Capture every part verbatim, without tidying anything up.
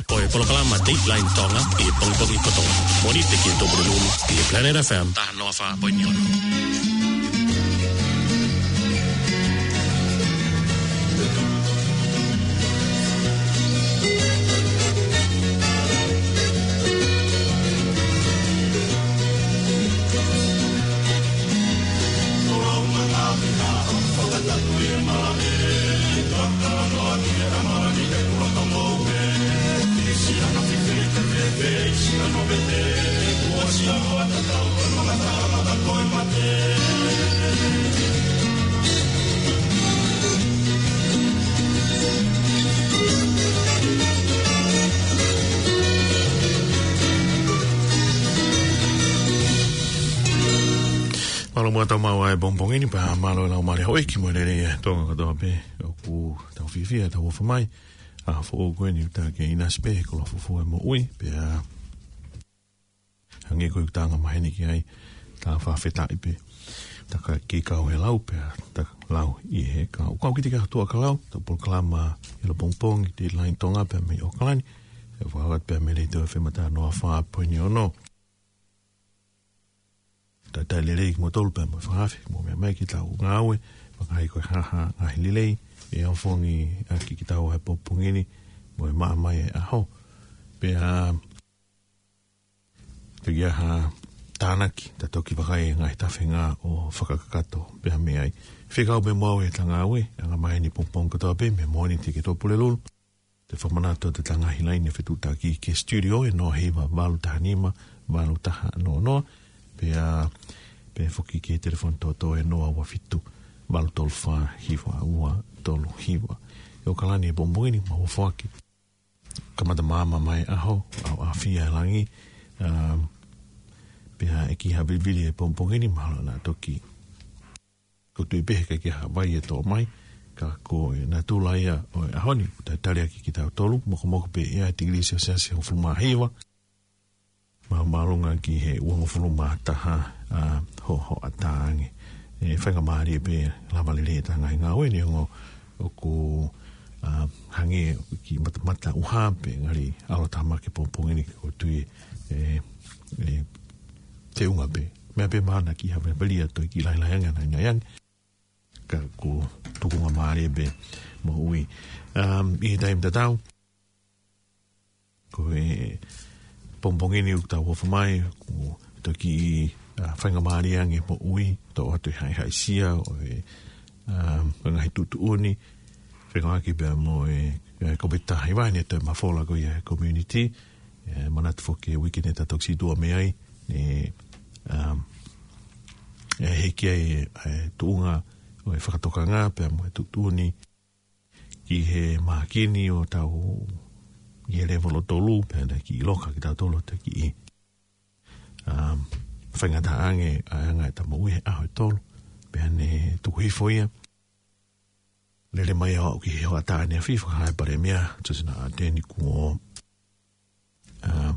Ko e polokalama Dateline Tonga ʻi he pongipongi kotoa. Mōnite ki he Tōpulelulu ʻi he Planet F M taha noa fā poini ono. Mālō muʻa tau maʻu ʻa e pongipongi ni pea mālō e laumālie houʻeiki mo e lelei ʻa Tonga kotoa pē ʻoku tau fiefia ʻetau ō mai. ʻA e foʻou ko eni ʻoku tā ke ʻinasi pē he koloa fufū e moʻui, pea hangē ko ʻeku tanga maheni ki ai, tā fakafetaʻi pē. Tā ka kei kau he lau pea, tā lau ʻi he kau. Kau kiate kitautolu ʻa e kau, ʻetau polokalama ʻi he pongipongi, Dateline Tonga pea mei ʻAokalani. ʻE fakahoko atu pea mei he Letiō F M taha noa fā poini ono. Talitali lelei kimoutolu pea mo e fakahaofi, mou meʻa mai ki heʻetau ngāue, fakahā ko e hā ha ngaahi lelei ʻe ofongi ʻaki kitaua he pongipongi ni, mo e maʻa mai e ʻaho. Pea, pea ʻi ai ha tānaki, ta toki vakai e ngaahi tafenga ʻo fakakakato pea mei ai. Fekau pē mo au ʻeta ngāue, anga maheni pongipongi kotoa pē, mei Mōnite ki he Tōpulelulu. Te fakamanatu atu ʻeta ngaahi laine fetuʻutaki ki he studio ʻe noa hiva valu taha nima, valu taha noa noa, pea, pea foki ki he telefoni tōtō ʻe noa ua fitu, valu tolu fā, hiva ua tolu hiva. ʻI ʻAokalani he pongipongi ni, mau foaki. Kamata māmā mai ʻaho, ʻaoʻaofia e langi, um, pea ʻe kiʻi havilivili he pongipongi ni, mahalo naʻa toki ko e tui pē he ʻikai ke ʻi ai ha vai ʻe tō mai, ka ko e natula ia ʻo e ʻaho ni, ʻoku talitali ʻaki kitautolu, mokomoko pē ia he tikilī selesiasi hongofulu mā hiva, mā māʻolunga ki he uangofulu mā taha, ʻa, ho, hoʻatā ange. ʻE faingamālie pē lava lelei ʻeta ngaahi ngāue neongo ʻoku, ʻa, hangē kiʻi matamata ʻuha pē ngali ʻalu atu mai ki he pongipongi ni ko e tui ʻe, ʻe, teunga pē. Meʻa pē mahalo naʻa kiʻi havilivili ʻa e tō kiʻi lahilahi ange, naʻa ngai ange. Ka ko e tukunga mālie pē moʻui. Um, ʻi he taimi tatau, ko e pongipongi ni ʻoku tau ō mai, ko e toki, ʻa, faingamālie ange moʻui, tō atu e haʻihaʻisia ʻo e, um, ko e ngaahi tuʻutuʻuni, fekauʻaki pea mo e, e Kōviti taha hiva ni ʻa e toe mafola ko ia he community, ʻe manatu foki e uike ni ta toki situʻa mei ai, ʻe, um, ʻe hiki ai e, e tuʻunga ʻo e fakatokanga pea mo e tuʻutuʻuni ki he mākini ʻo tau ʻi he levolo tolu, pea naʻe kiʻi loka kitautolu ʻo toki, um, faingataʻa ange ʻa e anga ʻeta moʻui he ʻaho ʻe tolu, pea ne tuku hifo ia. Lele mai ʻo aʻu ki he hoʻatā ʻaneafi, fakahā ʻe he Palēmia, George Naʻa Teni, kuo, ʻa,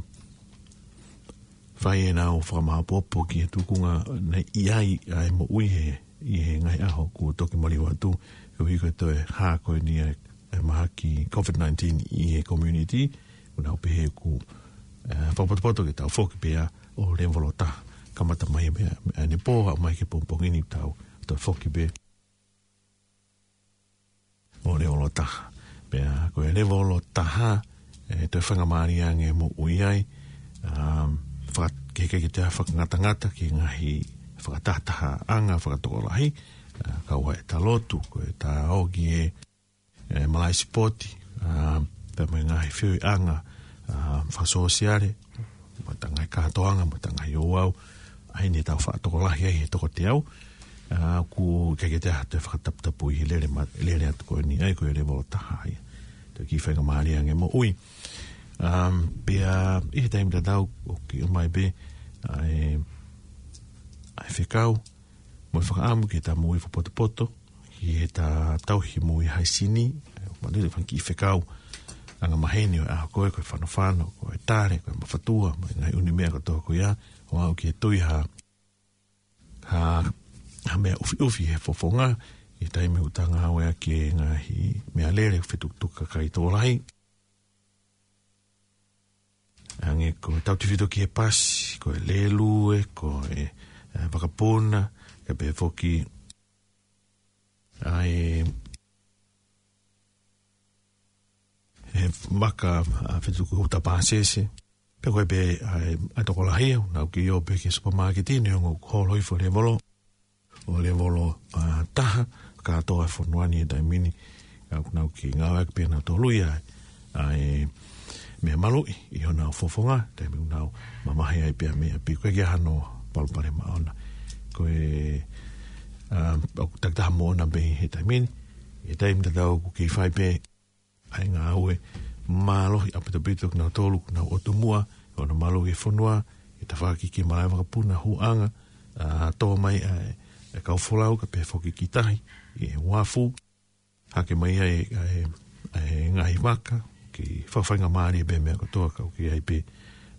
fai ʻenau fakamāʻopoʻopo ki he tukunga naʻe ʻi ai ʻa e moʻui he, ʻi he ngaahi ʻaho kuo toki maliu atu, koeʻuhi ko e toe hā ko eni ʻa e, ʻa e mahaki Covid nineteen ʻi he community, ʻoku nau pehē ʻoku, ʻa, fakapotopoto ke tau foki pē ia ʻo levolo taha, kamata mai pē ia ʻanepō, aʻu mai ki he pongipongi ni tau toe foki pē ʻo levolo taha. Pea ko e levolo taha, ʻe toe faingamālie ange moʻui ai, um, faka-, ke, ke, ke toe fakangatangata ki he ngaahi fakatahatahaʻanga fakatokolahi, ʻa, kau ai ʻeta lotu, ko ʻeta ō ki he, ʻe, malaʻe sipoti, ʻa, pea mo e ngaahi feohiʻanga, ʻa, fakasōsiale, mo ʻeta ngaahi kātoanga, mo ʻeta ngaahi ouau, ʻa ia ne tau faʻa tokolahi ai he toko teau, ʻa, ʻoku ʻikai ke toe ʻi ai ha toe fakataputapui he lele ma-, lele atu ko eni, ʻa ia ko e levolo taha ia. Toe kiʻi faingamālie ange moʻui. Um, pea ʻi he taimi tatau, ʻoku ʻomai pē ʻa e, ʻa e fekau, mo e fakaʻamu ki heʻeta moʻui fakapotopoto, ki heʻeta tauhi moʻui haisini, ʻe, manatu ki he fanga kiʻi fekau anga maheni ʻo e ʻaho ko ē, ko e fanofano, ko e tale, ko e mafatua, mo e ngaahi ʻū meʻa kotoa ko ia, ʻo aʻu ki he tui ha, ha, ha meʻa ʻufiʻufi he fofonga, ʻi he taimi ʻoku ta ngāueʻaki e ngaahi meʻalele fetukutuku kakai tokolahi. Ko e tautefito ki he pasi, ko e lēlue, ko e, ē, vakapuna, kae pehē foki ʻa e, ʻe, maka, ʻa, fetuku huta pāsese. Pea ko e pē, ʻa e, ʻa e tokolahi ia, nau kei ō pē ki he supermarket, neongo ʻoku holo hifo lēvolo. ʻO lēvolo, ʻa, taha, kātoa e fonua ni he taimi ni. ʻA, ʻoku nau kei ngāueʻaki pē nautolu ia, ʻa e, meʻa maluʻi, ʻi honau fofonga, taimi ʻoku nau mamahi ai pē mei ʻapi, ʻoku ʻikai ke ʻi ai hano palopalema ʻona. Ko e, ʻa, ʻoku takitaha moʻona pē he taimi ni, he taimi tatau ʻoku kei fai pē ʻa e ngāue mālohi ʻaupito ʻa kinautolu ʻoku nau ʻotu muʻa, ʻo nau maluʻi e fonua, ʻi he tafaʻaki ki he malaʻe vakapuna hūʻanga, ʻa, tō mai ʻa e, e kau folau kae pehē foki ki tahi, ʻi he uafu, hake mai ai, ʻa e, ʻa e ngaahi vaka, ke fakafaingamālie pē meʻa kotoa ka ʻoku ʻi ai pē,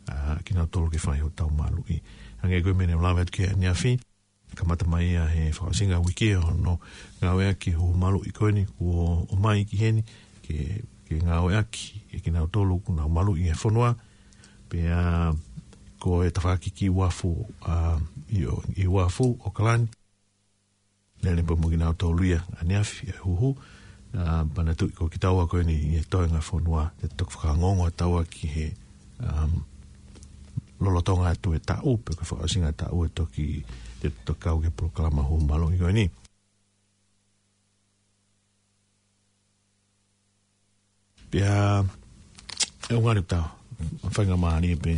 ʻa, kinautolu ke fai hotau maluʻi. Hangē ko e meʻa ne u lave atu ki ai ʻaneafi, kamata mai ia he fakaʻosinga uike ʻo hono ngāueʻaki e huhu maluʻi ko eni kuo ʻomai ki heni ke, ke ngāueʻaki ʻe kinautolu ʻoku nau maluʻi e fonua. Pea ko e tafaʻaki ki uafu, ʻa, ʻi ʻo, ʻi uafu ʻAokalani. Lele pē mo kinautolu ia ʻaneafi e huhu, ʻa, pea na tuʻu ko kitaua ko eni ʻi he toenga fonua, te toki fakaongoongo ʻa taua ki he, um, lolotonga atu e taʻu, pe ko e fakaʻosinga taʻu ʻe toki, te toki kau ki he polokalama huhu maluʻi ko eni. Pea, ʻe ʻuhinga ʻetau faingamālie pē,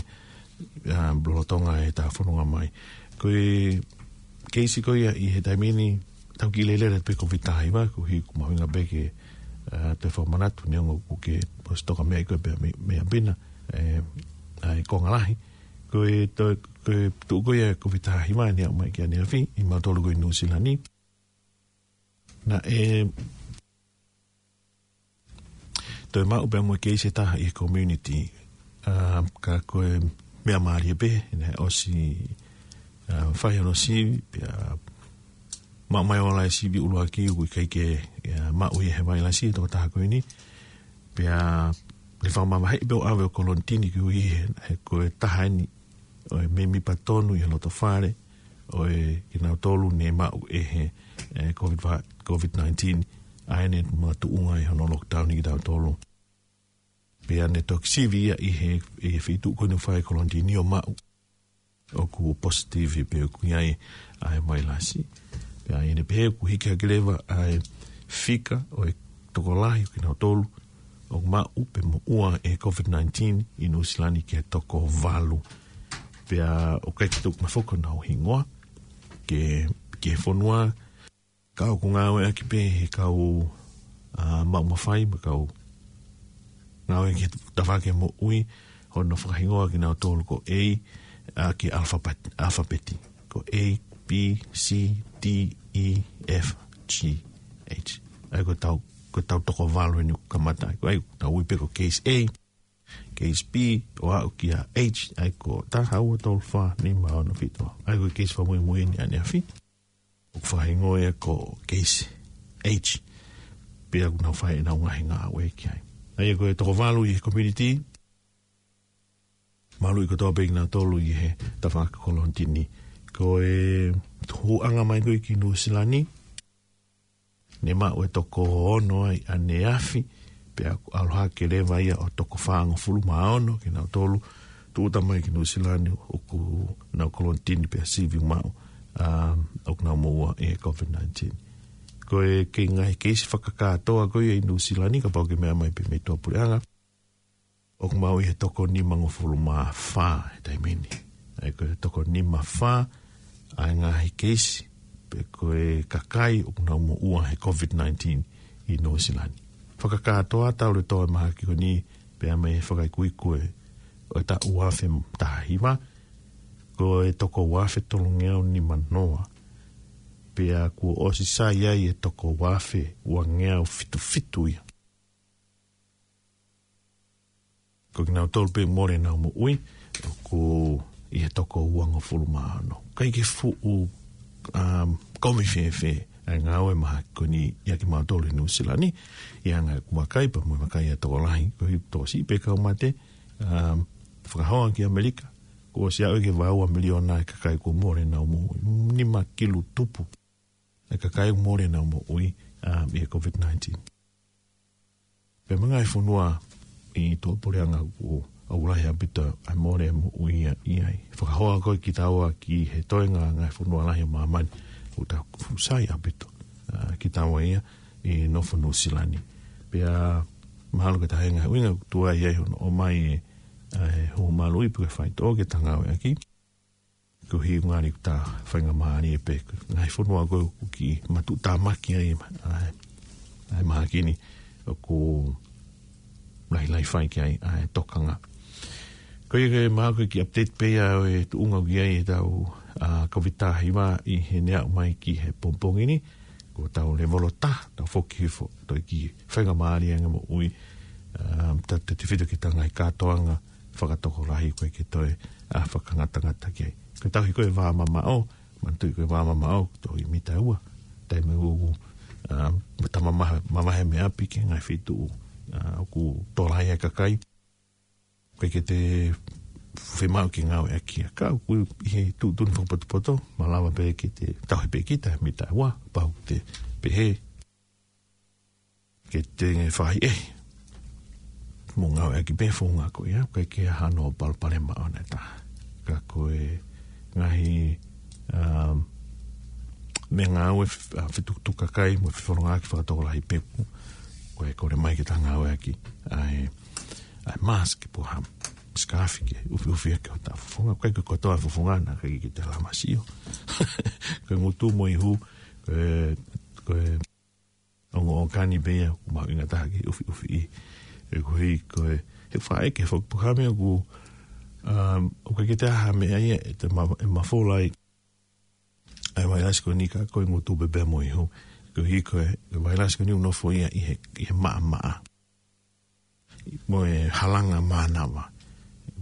ʻa, lolotonga ʻetau fononga mai. Ko e keisi ko ia ʻi he taimi ni, tau kiʻi lele pē ko e Covid taha hiva, ko e ʻuhi ʻoku mahuʻinga pē ke, ʻa, te fakamanatu neongo ʻoku ke ʻosi toka mei ai koe pea mei, mei ʻapi na, ʻe, ʻa e konga lahi. Ko e to-, ko e tuʻu ko ia Covid taha hiva ne aʻu mai ki ʻaneafi, ʻi mautolu ko ē ʻi Nuʻusila ni. Naʻe toe maʻu pē mo e keisi ʻe taha ʻi he community. ʻA, ka ko e meʻa mālie pē, naʻe ʻosi, ʻa, fai hono sivi, pea maʻu mai ʻo ʻalu e sivi ʻuluaki ʻoku ʻikai ke, ʻa, maʻu ia he vailasi e tokotaha ko eni. Pea ne fakamavaheʻi pē ʻo ʻave ʻo kolonitini koeʻuhi he, he ko e taha eni ʻo e mēmipa tonu ʻi he loto fale ʻo e kinautolu ne maʻu ʻe he, ʻe, Covid va-, Covid nineteen, ʻa ē ne makatuʻunga ʻi hono lockdown ʻi kitautolu. Pea ne toki sivi ia ʻi he, ʻi he feituʻu ko eni ʻoku fai ai e kolonitini ʻo maʻu ʻoku positive pe ʻoku ʻi ai ʻa e vailasi. Pea ʻi heʻene pehē ʻoku hiki hake leva ʻa e fika ʻo e tokolahi ʻo kinautolu ʻoku maʻu pe moʻua ʻe he Covid nineteen ʻi Nuʻusila ni ki he toko valu. Pea ʻoku ʻikai ke tuku mai foki honau hingoa ki he, ki he fonua, ka ʻoku ngāueʻaki pē he kau, ʻa, maʻu mafai, mo e kau ngāueʻaki he tafaʻaki moʻui, hono fakahingoa kinautolu ko e, ʻa, ki he alphabet, alphabet. Ko e, B, C, D, E, F, G, H. ʻA ia ko ʻetau, ko ʻetau toko valu eni ʻoku kamata ai. Ko ʻetau ui pē ko e case A, case B, ʻo aʻu ki he H, ʻa ia ko e taha, ua, tolu, fā, nima, ono, fitu. ʻA ia ko e case fakamuimui eni ʻaneafi ʻoku fakahingoa ia ko e case H. Pea ʻoku nau fai ʻenau ngaahi ngāue ki ai. ʻA ia ko e toko valu ʻi he community, maluʻi kotoa pē kinautolu ʻi he tafaʻaki kolonitini. Ko e hūʻanga mai ko ē ki Nuʻusila ni, ne maʻu e toko ono ai ʻaneafi, pea ʻalu hake leva ia ʻo toko fāngofulu mā ono kinautolu, tūʻuta mai ki Nuʻusila ni ʻoku nau kolonitini pea sivi maʻu, ʻa, ʻoku nau moʻua ʻe he Covid nineteen. Ko e kei ngaahi keisi fakakātoa ko ia ʻi Nuʻusila ni, kapau ʻoku ke meʻa mai pē mei tuʻapuleʻanga, ʻoku maʻu ʻi he toko nimangofulu mā fā he taimi ni. ʻA ia ko e toko nima fā ʻa e ngaahi keisi, pe ko e kakai ʻoku nau moʻua he Covid nineteen ʻi Nuʻusila ni. Fakakātoa talu e tō e mahaki ko eni, pea mei he fakaikuiku ʻo e taʻu ua afe taha hiva, ko e toko ua afe tolungeau nima noa. Pea kuo ʻosi sai ai e toko ua afe uangeau fitu fitu ia. Ko kinautolu pē mole ʻenau moʻui, ʻoku ʻi he toko uangofulu mā ono. ʻIkai ke fuʻu, um, kovi fēfē ʻa e ngāue mahaki ko eni ʻia kimautolu ʻi Nuʻusila ni, ʻi he anga ʻeku vakai pea mo e vakai ʻa e tokolahi, ko e tokosiʻi pē kau mate, um, Fakahoa ki ʻAmelika, kuo ʻosi aʻu ki he valu miliona e kakai kuo mole ʻenau moʻui. Nima kilu tupu e kakai kuo mole ʻenau moʻui, um, ʻi he COVID-nineteen. Pea mo e ngaahi fonua ʻi tuʻapuleʻanga kuo ʻalu lahi ʻaupito ʻa e mole moʻui ʻi ai. Fakahoa ko ē kitaua ki he toenga ngaahi fonua lahi ʻo māmani, ʻoku tau fuʻu sai ʻaupito, uh, kitaua ia ʻi he nofo Nuʻusila ni. Pea mahalo ko e taha e ngaahi ʻuhinga ʻoku tuai ai hono ʻomai e, uh, e hū maluʻi pe ko e faitoʻo ke ta ngāueʻaki. Koeʻuhi ʻoku ngali ʻoku ta faingamālie pē, ko e ngaahi fonua ko ē ʻoku kiʻi matuʻutāmaki ai, ʻa e, ʻa e mahaki ni ʻoku lahilahi fai ki ai ʻa e tokanga. Ko ia ke mahalo ko e kiʻi update pē ia ʻo e tuʻunga ʻoku ʻi ai ʻetau, ʻa, COVID taha hiva ʻi heʻene aʻu mai ki he pongipongi ni, ko ʻetau levolo taha, tau foki hifo, toe kiʻi faingamālie ange moʻui, um, tautautefito ki heʻetau ngaahi kātoanga fakatokolahi ko ē ke toe, ʻa, fakangatangata ki ai. Ko e tauhi ko ē vā mamaʻo, manatuʻi ko e vā mamaʻo, toe ʻi he mita ua, taimi ʻoku, um, tau mamahi, mamahi mei ʻapi ki he ngaahi feituʻu, ʻa, ʻoku tō lahi ai e kakai. ʻOku ʻikai ke te fiemaʻu ke ngāueʻaki ia. Ka ʻoku ʻi he tuʻutuʻuni fakapotopoto, malava pē ke te tauhi pē kita mita ua, pau te pehē ke te fai ē. Mou ngāueʻaki pē founga ko ia, ʻoku ʻikai ke ʻi ai hano palopalema ʻoʻona ʻe taha. Ka ko e ngaahi, um, meʻangāue f-, ʻa, fetukutuku kakai, mo e fefolongaki fakatokolahi pē ʻoku, ko e kole mai ke ta ngāueʻaki ʻa e, ʻa e mask pe ko ha scarf ke ʻufiʻufi ʻaki hota fofonga. ʻOku ʻikai ko e kotoa e fofonga naʻa ʻikai ke te lava ʻo sio. Ko e ngutu mo e ihu, ko e, ko e ongo ʻōkani pē ia ʻoku mahuʻinga taha ke ʻufiʻufi ʻi. He koeʻuhi ko e, he faʻa ʻeke foki pe ko e hā e meʻa ʻoku, um, ʻoku ʻikai ke te ʻi ai ha meʻa ia ʻe te ma-, ʻe mafola ai ʻa e vailasi ko eni ka ko e ngutu pē pea mo e ihu. Koeʻuhi ko e, e vailasi ko eni ʻoku nofo ia ʻi he, ʻi he maʻamaʻa. Mo e halanga mānava.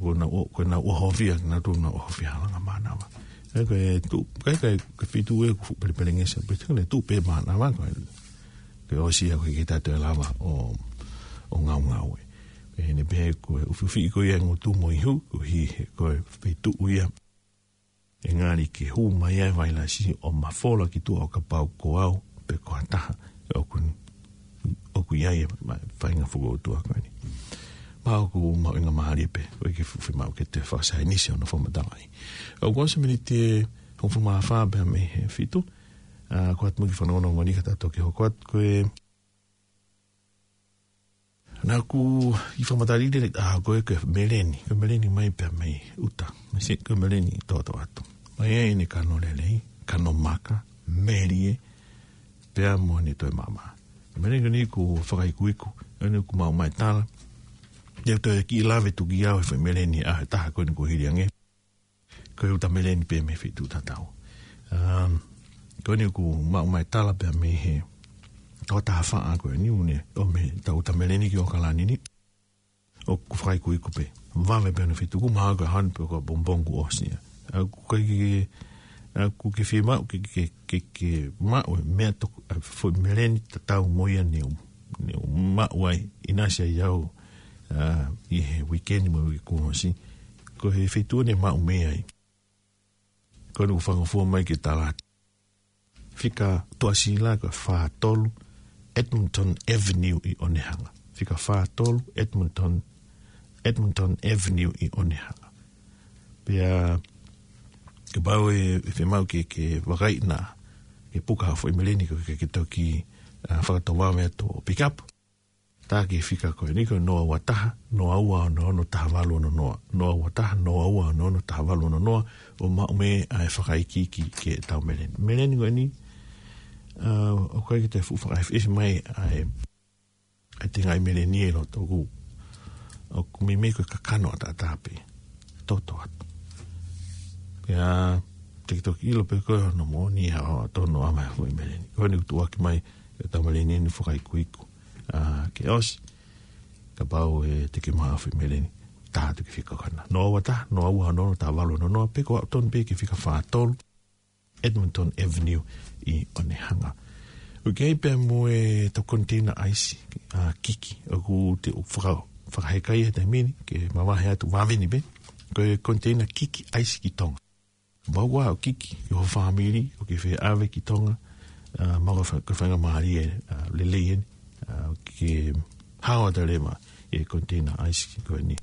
Ko ʻenau ʻo-, ko ʻenau ʻohovia, naʻa nau ʻohovia halanga mānava. ʻE ko e tuʻu, ʻikai, ʻikai, ko e feituʻu ē ʻoku fuʻu pelepelengesi, pea te ne tuʻu pē mānava, ko e, ko e ʻosi ia ʻoku ʻikai ke ta toe lava ʻo, ʻo ngaungaue. Pea ʻi heʻene pehē ko e ʻufiʻufi ko ia e ngutu mo e ihu, koeʻuhi he ko e feituʻu ia ʻe ngali ke hū mai ai e vailasi ʻo mafola ki tuʻa ʻo kapau ko au pe ko ha taha ʻoku, ʻoku ʻi ai e ma-, faʻahinga fokoutua ko eni. Pea ʻoku mahuʻinga mālie pē, ʻoku ʻikai ke fuʻu fiemaʻu ke te fakasaienisi hono fakamatalaʻi. ʻOku ʻosi e miniti ʻe hongofulu mā fā pea mei he fitu, ʻa, ko e ʻatā mo e kiʻi fanongonongo ni ka ta toki hoko atu ko e Naʻa ku ʻi fakamatala lelei ʻa ko e, ko e meleni, ko e meleni mai pea mei ʻuta. Mei se, ko e meleni toʻotoʻo atu. Mai ai ʻene kano lelei, kano maka, melie, pea mo ʻene toe maʻamaʻa. Meleni ko eni ʻoku fakaikuiku, ʻoku ne ʻoku maʻu mai e tala. ʻIo toe kiʻi lave tuki au he foʻi meleni ʻa e taha ko eni kuo hili ange. Ko e ʻuta meleni pē mei he feituʻu tatau. Um, ko eni ʻoku maʻu mai e tala pea mei he tokotaha faʻa ko eni ʻoku ne ʻomai ʻetau ʻuta meleni ki ʻAokalani ni. ʻOku fakaikuiku pē. Vave pē ʻene feituʻu, mahalo ko e hanu pe ko e pongipongi kuo ʻosi ia. ʻOku ʻikai ke, ʻoku ʻikai ke fiemaʻu ke, ke, ke, ke maʻu e meʻa toko, ʻa e foʻi meleni tatau mo ia ne u, ne u maʻu ai, ʻinasi ai au, ʻa, ʻi he uike ni mo e uike kuo ʻosi. Ko e feituʻu ʻoku ne maʻu mei ai. Ko eni ʻoku fakangofua mai ke tala atu. Fika Tuʻasila ko e fā tolu Edmonton Avenue ʻi ʻOnehunga. Fika fā tolu Edmonton, Edmonton Avenue ʻi ʻOnehunga. Pea kapau ʻe, ʻe fiemaʻu ke, ke vakai na, ke puka ha foʻi meleni ko ē ke, ke toki, ʻa, fakatovave atu ʻo pick up. Tā ki he fika ko eni ko e noa ua taha, noa ua ono ono taha valu ono noa. Noa ua taha, noa ua ono ono taha valu ono noa, ʻo maʻu mei ai e fakaikiiki ki heʻetau meleni. Meleni ko eni, ʻa, ʻoku ʻikai ke te fuʻu fakaʻefiʻefi mai ʻa e, ʻa e tengaʻi meleni ʻi loto ʻoku, ʻoku meimei ko e kakano ʻataʻatā pē. Toʻotoʻo atu. Pea, te ke toki ʻilo pē ko e hono moʻoni ʻa e tonu ʻa e foʻi meleni. Ko eni ʻoku tuʻuaki mai, ʻetau meleni ʻoku fakaikuiku. ʻA, ke ʻosi. Kapau ʻe te ke maʻu ha foʻi meleni. Tā atu ki he fika ko ena. Noa ua taha, noa ua ono ono taha valu ono noa, pe ko e tonu pē ki he fika fā tolu. Edmonton Avenue ʻi ʻOnehunga. ʻOku ʻi ai pē mo ʻetau koniteina ʻaisi, ʻa, kiki. ʻOku te u faka-, Fakaheka ia he taimi ni, ke mavahe atu vave ni pē, ko e koniteina kiki ʻaisi ki Tonga. Kapau ʻoku kiki ʻi ho fāmili, ʻoku ke fie ʻave ki Tonga, ʻa, maʻu ko e fa-, ko e faingamālie, ʻa, lelei eni, ʻa, ke hao atu leva ʻi he koniteina ʻaisi ko eni.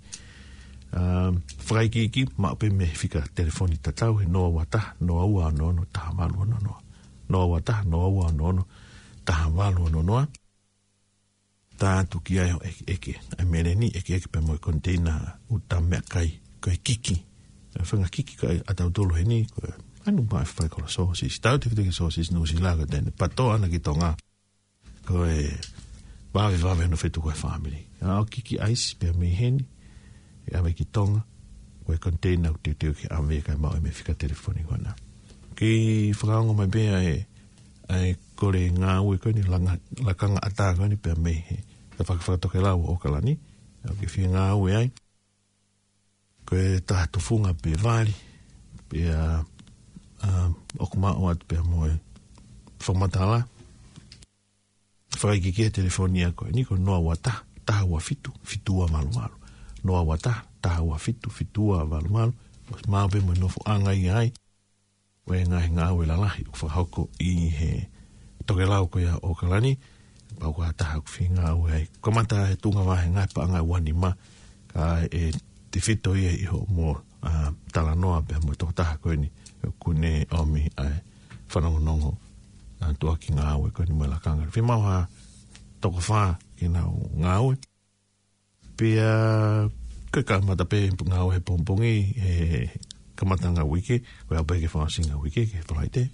ʻA, fakaikiiki, maʻu pē mei he fika telefoni tatau, he noa ua taha, noa ua ono ono, taha valu ono noa. Noa ua taha, noa ua ono ono, taha valu ono noa. Tā atu ki ai hoʻo ʻekeʻeke. ʻA e meleni ʻekeʻeke pē mo e koniteina ʻuta meʻakai, ko e kiki. ʻA e faʻahinga kiki ko ē ʻatautolu heni, ko e anu maʻa e fai kolo sōsisi. Tautefito ki he sōsisi Nuʻusila ko eni, pātoa ʻana ki Tonga. Ko e vave vave hono fetuku ʻa e fāmili. ʻA, ʻo kiki ʻaisi pē mei heni, ʻe ʻave ki Tonga, ko e koniteina ʻoku teuteu ke ʻave kae maʻu mei he fika telefoni ko ena. Kei fakaongo mai pē ʻa e ʻa e kole ngāue ko eni, langa-, lakanga ʻatā ko eni pea mei he tafaʻaki fakatokelau ʻo ʻAokalani. ʻOku ke fie ngāue ai. Ko e taha tufunga pē vali, pea, ʻa, ʻoku maʻu atu pē mo e fakamatala. Fakaikiiki he telefoni ia ko eni ko e noa ua taha, taha ua fitu, fitu ua valu valu. Noa ua taha, taha ua fitu, fitu ua valu valu. ʻOsi maʻu pē mo e nofoʻanga ia ai. ʻO e ngaahi ngāue lalahi ʻoku fakahoko ʻi he tokelau ko ia ʻo ʻAokalani, pau ko ha taha ʻoku fie ngāue ai. Kamata he tuʻunga vahe ngaahi paʻanga ua nima, ka ʻe tefito ia ʻi hoʻomo, ʻa, talanoa pea mo e tokotaha ko eni, ʻoku ne ʻomi ʻa e fanongonongo, ʻa, tuʻuaki ngāue ko eni mo e lakanga. Fiemaʻu ha toko fā ke nau ngāue. Pea, ko e kamata pē ngāue he pongipongi, he kamata ʻa e uike, ko e ʻalu pē ke fakaʻosi ʻa e uike, ki he Falaite,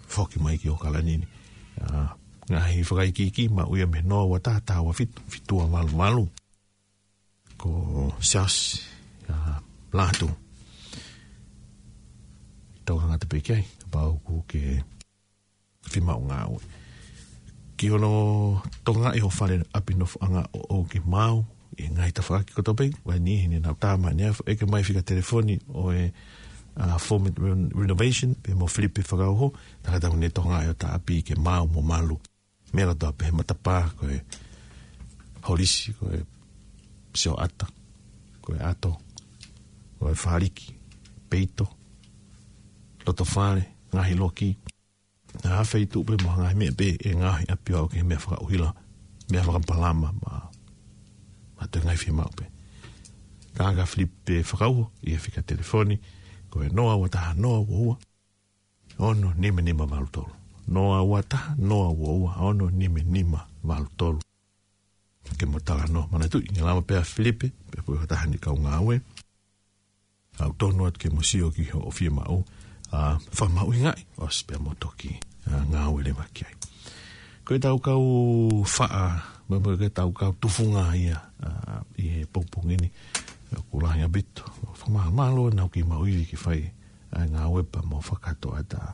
foki mai ki ʻAokalani ni. ʻA, ngaahi fakaikiiki, maʻu ia mei he noa ua taha, taha ua fitu, fitu ua valu valu. Ko Siaosi, ʻa, Lātū. Tau hanga atu pē ki ai, kapau ʻoku ke fiemaʻu ngāue. Ki hono tokangaʻi ho fale ʻapi nofoʻanga ʻoʻou ke maau ʻi he ngaahi tafaʻaki kotoa pē, ʻa eni heni nau tā mai ʻeni, ʻeke mai fika telefoni ʻo e, ʻa, Format Ren-, Renovation, pea mo Filipe Fakauho, tā ka tau ne tokangaʻi hota ʻapi ke maau mo malu. Meʻa kotoa pē he matapā, ko e holisi, ko e sioʻata, ko e ʻato, ko e fāliki, peito, loto fale, ngaahi loki, ʻa e feituʻu pē mo e ngaahi meʻa pē ʻe ngaohi ʻapi ʻo aʻu ki he meʻa fakaʻuhila, meʻa fakapalama, mo, mo e ngaahi fiemaʻu pē. Ka ko Filipe Fakauho, ʻi he fika telefoni, ko e noa ua taha noa ua ua, ono nima nima valu tolu. Noa ua taha, noa ua ua, ono nima nima valu tolu. Ke mo talanoa, manatuʻi, ʻe lava pē ʻa Filipe, pe ko e taha ʻeni kau ngāue. ʻOku tonu atu ke mo sio ki hoʻo fiemaʻu, ʻa, fakamahuʻingaʻi, ʻosi pea mo toki, ʻa, ngāue leva ki ai. Ko e tau kau faʻa, mo, mo e tau kau tufunga ia, ʻa, ʻi he pongipongi ni, ʻoku lahi ʻaupito, fakamālō, nau kei maʻu ivi ke fai, ʻa e ngāue pea mo fakakātoa ʻeta,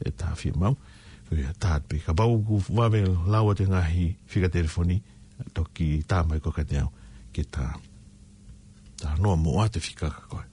ʻeta fiemaʻu. Ko ia tā pē kapau ʻoku vave lau atu e ngaahi fika telefoni, toki tā mai ko kiate au ke ta, ta noa mo ʻoatu e fika kia koe.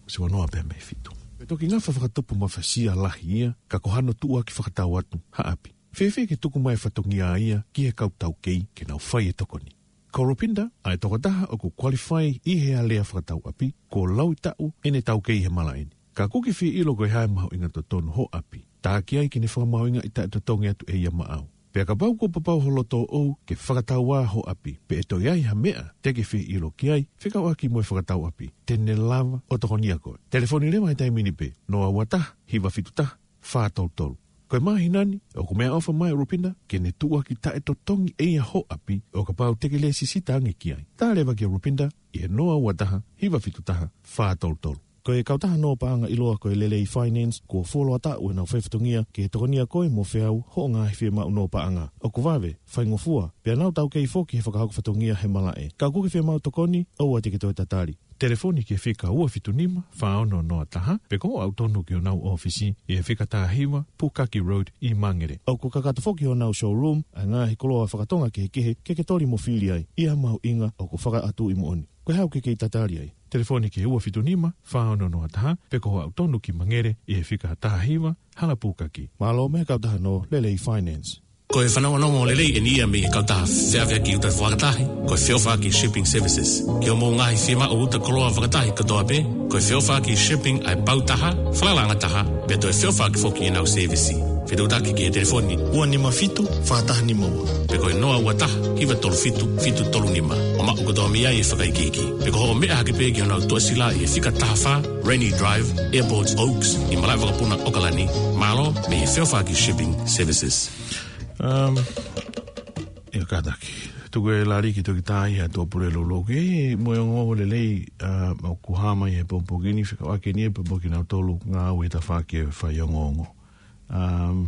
Siva noa pē mei he fitu. Pea toki ngafa fakatupu mafasia lahi ia, ka ko hano tuʻuaki fakatau atu ha ʻapi. Fēfē ke tuku mai e fatongia ia ki he kau taukei ke nau fai e tokoni. Ko Rupinda, ʻa e tokotaha ʻoku qualify ʻi he alea fakatau ʻapi, kuo laui taʻu ʻene taukei he malaʻe ni. Ka ʻoku ke fie ʻilo ko e hā e mahuʻinga totonu hoʻo ʻapi, tā ki ai ke ne fakamahuʻingaʻi taʻetotongi atu ʻe ia maʻau. Pea kapau kuo papau ho loto ʻoʻou ke fakatau ā hoʻo ʻapi, pe ʻe toe ʻi ai ha meʻa te ke fie ʻilo ki ai, fekauʻaki mo e fakatau ʻapi, te ne lava ʻo tokonia koe. Telefoni leva he taimi ni pē, noa ua taha, hiva fitu taha, fā tolu tolu. Ko e māhina ni, ʻoku meʻaʻofa mai ʻa Rupinda ke ne tuʻuaki taʻetotongi ʻe ia hoʻo ʻapi, ʻo kapau te ke lēsisita ange ki ai. Tā leva kia Rupinda ʻi he noa ua taha, hiva fitu taha, fā tolu tolu. Ko e kautaha nō paʻanga ʻiloa ko e Lelei Finance, kuo fuoloa taʻu ʻenau fai fatongia ke tokonia koe mo feau hoʻo ngaahi fiemaʻu nō paʻanga. ʻOku vave, faingofua, pea nau taukei foki he fakahoko fatongia he malaʻe. Ka ʻoku ke fiemaʻu tokoni, ʻoua te ke toe tatali. Telefoni ki he fika ua fitu nima, fā ono noa taha, pe ko hoʻo aʻu tonu ki honau ʻōfisi ʻi he fika taha hiva, Pukaki Road ʻi Mangere. ʻOku kakato foki honau showroom, ʻa e ngaahi koloa fakatonga kehekehe, ke ke toli mo fili ai, ʻi ha mahuʻinga ʻoku fakaʻatuʻi moʻoni. Ko e hā ʻoku ke kei tatali ai? Telefoni ki he ua fitu nima, fā ono noa taha, pe ko hoʻo aʻu tonu ki Mangere ʻi he fika taha hiva, Hala Pukaki. Mālō mei he kautaha nō Lelei Finance. Ko e fanongonongo lelei eni ia mei he kautaha feʻaveʻaki uta fakatahi, ko e feʻofaʻaki shipping services. Ki hoʻomou ngaahi fiemaʻu uta koloa fakatahi kotoa pē, ko e feʻofaʻaki shipping ʻa e pau taha, falalaʻanga taha, pea toe feʻofaʻaki foki ʻenau sēvisi. Fetuʻutaki ki he telefoni ua nima fitu, fā taha nima ua. Pe ko e noa ua taha, hiva tolu fitu, fitu tolu nima. ʻO maʻu kotoa mei ai e fakaikiiki. Pe ko hoʻo meʻa hake pē ki honau tuʻasila ʻi he fika taha fā, Rainy Drive, Airport Oaks, ʻi Malaʻevakapuna, ʻAokalani. Mālō, mei he feʻofaʻaki shipping services. Um, ia kātaki. Tuku e lali ki toki tāi ha tō pule lolo. Ki mo e ongo lelei, uh, ʻoku hā mai he pongipongi ni, fekauʻaki ni e pongipongi nautolu ngāue tafaʻaki e faiongoongo. Um,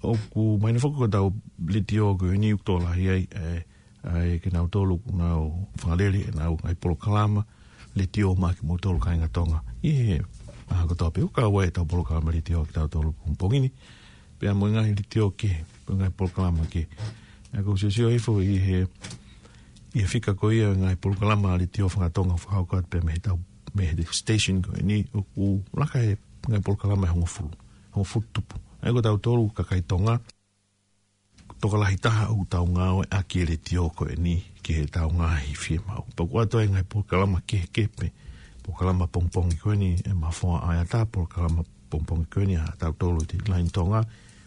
ʻoku mahino foki ko ʻetau letiō ko eni ʻoku tokolahi ai, e, ʻa e kinautolu ʻoku nau fakalele ʻenau ngaahi polokalama letiō maʻa kimoutolu kāinga Tonga. ʻI he, ʻa, kotoa pē ʻoku kau ai ʻetau polokalama letiō kitautolu pongipongi ni. Pea mo e ngaahi letiō kehe, mo e ngaahi polokalama kehe. ʻA, ʻoku ou siosio hifo ʻi he, ʻi he fika ko ia ngaahi polokalama letiō fakatonga fakahoko atu pē mei he tau, mei he station ko eni ʻoku laka he ngaahi polokalama ʻe hongofulu, hongofulu tupu. ʻA ia ko tautolu kakai Tonga, tokolahi taha ʻoku tau ngāueʻaki e letiō ko eni ki heʻetau ngaahi fiemaʻu. Pea ʻoku ʻoatu ai e ngaahi polokalama kehekehe pē, polokalama pongipongi ko eni ʻe Mafoa ʻAeata, polokalama pongipongi ko eni ʻa tautolu ʻi he Line Tonga,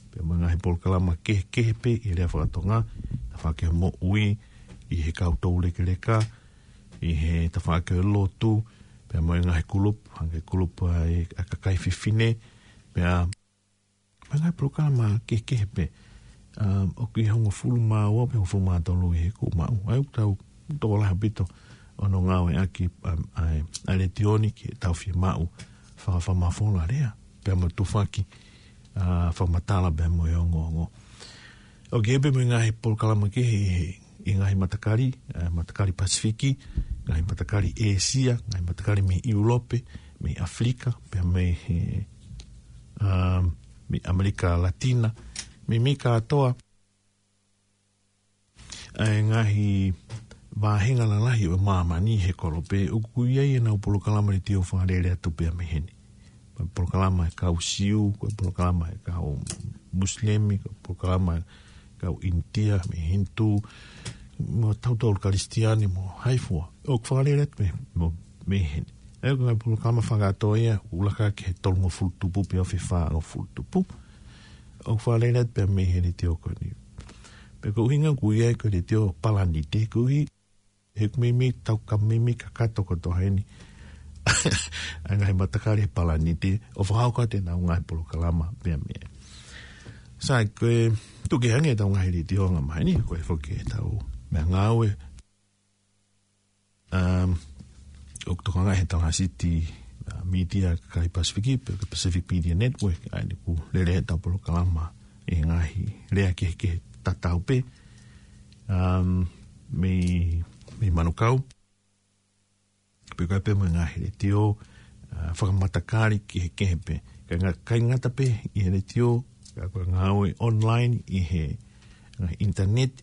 pea mo e ngaahi polokalama kehekehe pē ʻi he lea fakatonga, tafaʻaki e moʻui, ʻi he kau toulekeleka, ʻi he tafaʻaki e lotu, pea mo e ngaahi kulupu, hangē kulupu ʻa e, ʻa e kakai fefine, pea mo e ngaahi polokalama kehekehe pē. Um, ʻoku ʻi he hongofulu mā ua pe hongofulu mā tolu ʻi he kuo maʻu. ʻA ia ʻoku tau tokolahi ʻaupito ʻo hono ngāueʻaki, um, ʻa e, ʻa e letiō ni ki heʻetau fiemaʻu faka-, fakamafola lea, pea mo e tufaki, uh, fakamatala pea mo e ongoongo. ʻOku ʻi ai pē mo e ngaahi polokalama kehe ʻi he, ʻi he ngaahi matakali, eh, matakali Pasifiki, ngaahi matakali ʻĒsia, ngaahi matakali mei ʻIulope, mei ʻAfilika, pea mei he, um, mei ʻAmelika Latina, mei, mei kātoa, ʻa e ngaahi vāhenga lalahi ʻo māmani he kolope, ʻoku ʻi ai ʻenau polokalama letiō fakalele atu pea mei heni. Ko e polokalama e kau Siu, ko e polokalama e kau Musilemi, ko e polokalama e kau ʻInitia, mei Hinitū, mo tautolu Kalisitiane, mo hai fua. ʻOku fakalele atu mei, mo, mei heni. ʻA ia ko e ngaahi polokalama fakakātoa ia, ʻoku laka ki he tolungofulu tupu pea ʻosi fāngofulu tupu. ʻOku fakalele atu pea mei he letiō ko eni. Pea ko e ʻuhinga ʻoku ʻi ai ko e letiō palanite, koeʻuhi he ʻoku meimei tau ka meimei kakato kotoa heni ʻa e ngaahi matakali he palanite ʻo fakahoko atu ʻenau ngaahi polokalama pea mei ai. Sai, ko e tuku kehe ange ʻetau ngaahi letiō anga maheni, ko e foki ʻetau meʻangāue, um, ʻoku tokanga he Talahasiti, uh, Media kakai Pasifiki, pe ko e Pacific Media Network, ʻa ia ʻoku lele ʻetau polokalama ʻi he ngaahi lea kehekehe tatau pē, um, mei, mei Manukau. Pe ko e pē mo e ngaahi letiō, uh, fakamatakali kehekehe pē. ʻIkai nga-, ʻikai ngata pē ʻi he letiō, ka ko e ngāue online ʻi he ngaahi internet,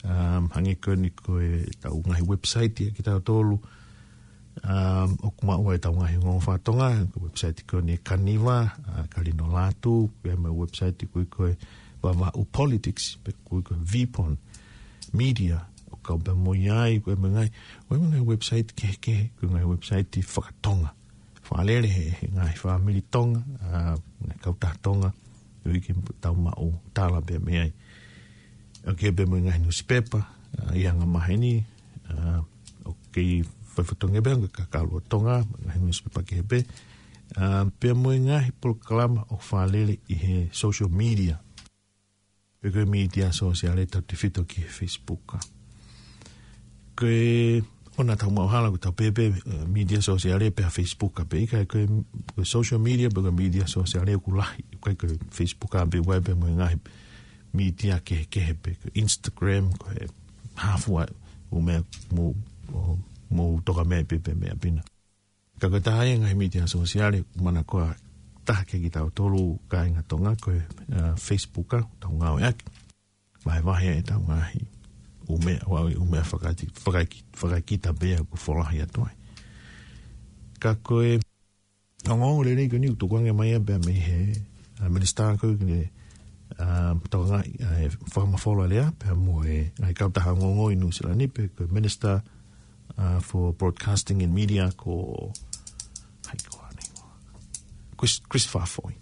um, hangē ko eni ko ʻetau ngaahi website ʻa kitautolu, um, ʻoku maʻu ai ʻetau ngaahi ongoongo fakatonga, ko e website ko eni Kaniva, uh, Kalino Lātū, pea mo e website ko ē ko e Vavaʻu Politics, pe ko ē ko e Vipon Media, ʻoku kau pea mo ia ai, ko e mo e ngaahi, ko e mo e ngaahi website kehekehe, ko e ngaahi website fakatonga. Fakalele he, he ngaahi fāmili Tonga, uh, ngaahi kautaha Tonga, ʻoku ʻikai ke tau maʻu tala pea mei ai. ʻOku ʻi ai pē mo e ngaahi nusipepa, uh, ʻi he anga maheni, uh, ʻoku kei fai fatongia pē ʻa e Kakalu ʻo Tonga, ngaahi nusipepa kehe pē, uh, pea mo e ngaahi polokalama ʻoku fakalele ʻi he social media. Pe ko e mītia sōsiale tautefito ki he Facebook. Ko e ʻoua naʻa tau maʻu hala ʻoku tau pehē pē, eh, mītia sōsiale pea Facebook pē, ʻikai ko e, ko e social media pe ko e mītia sōsiale ʻoku lahi, ʻikai ko e Facebook pē, ʻoku ʻi ai pē mo e ngaahi mītia kehekehe pē, ko e Instagram, ko e hā fua, ʻū meʻa mo, mo, mo toka meʻa pē, pē meʻa pē na. Ka ko e taha ia e ngaahi mītia sōsiale ʻoku manakoa taha kia kitautolu kāinga Tonga ko e, uh, Facebook ʻoku tau ngāueʻaki. Vahevahe ʻetau ngaahi ʻū meʻa, ʻū meʻa fakaiti-, fakaiki-, fakaikita pea ʻoku folahi atu ai. Ka ko e ongoongo lelei ko eni ʻoku tukuange mai ia pea mei he, uh, minisitā ko ē ki he, ʻa, tokangaʻi ʻa e fakamafola lea pea mo e ngaahi kautaha ongoongo ʻi Nuʻusila ni, pea ko e Minister, ʻa, for Broadcasting and Media ko, hai ko ʻene hingoa, Chris, Chris Fafoi.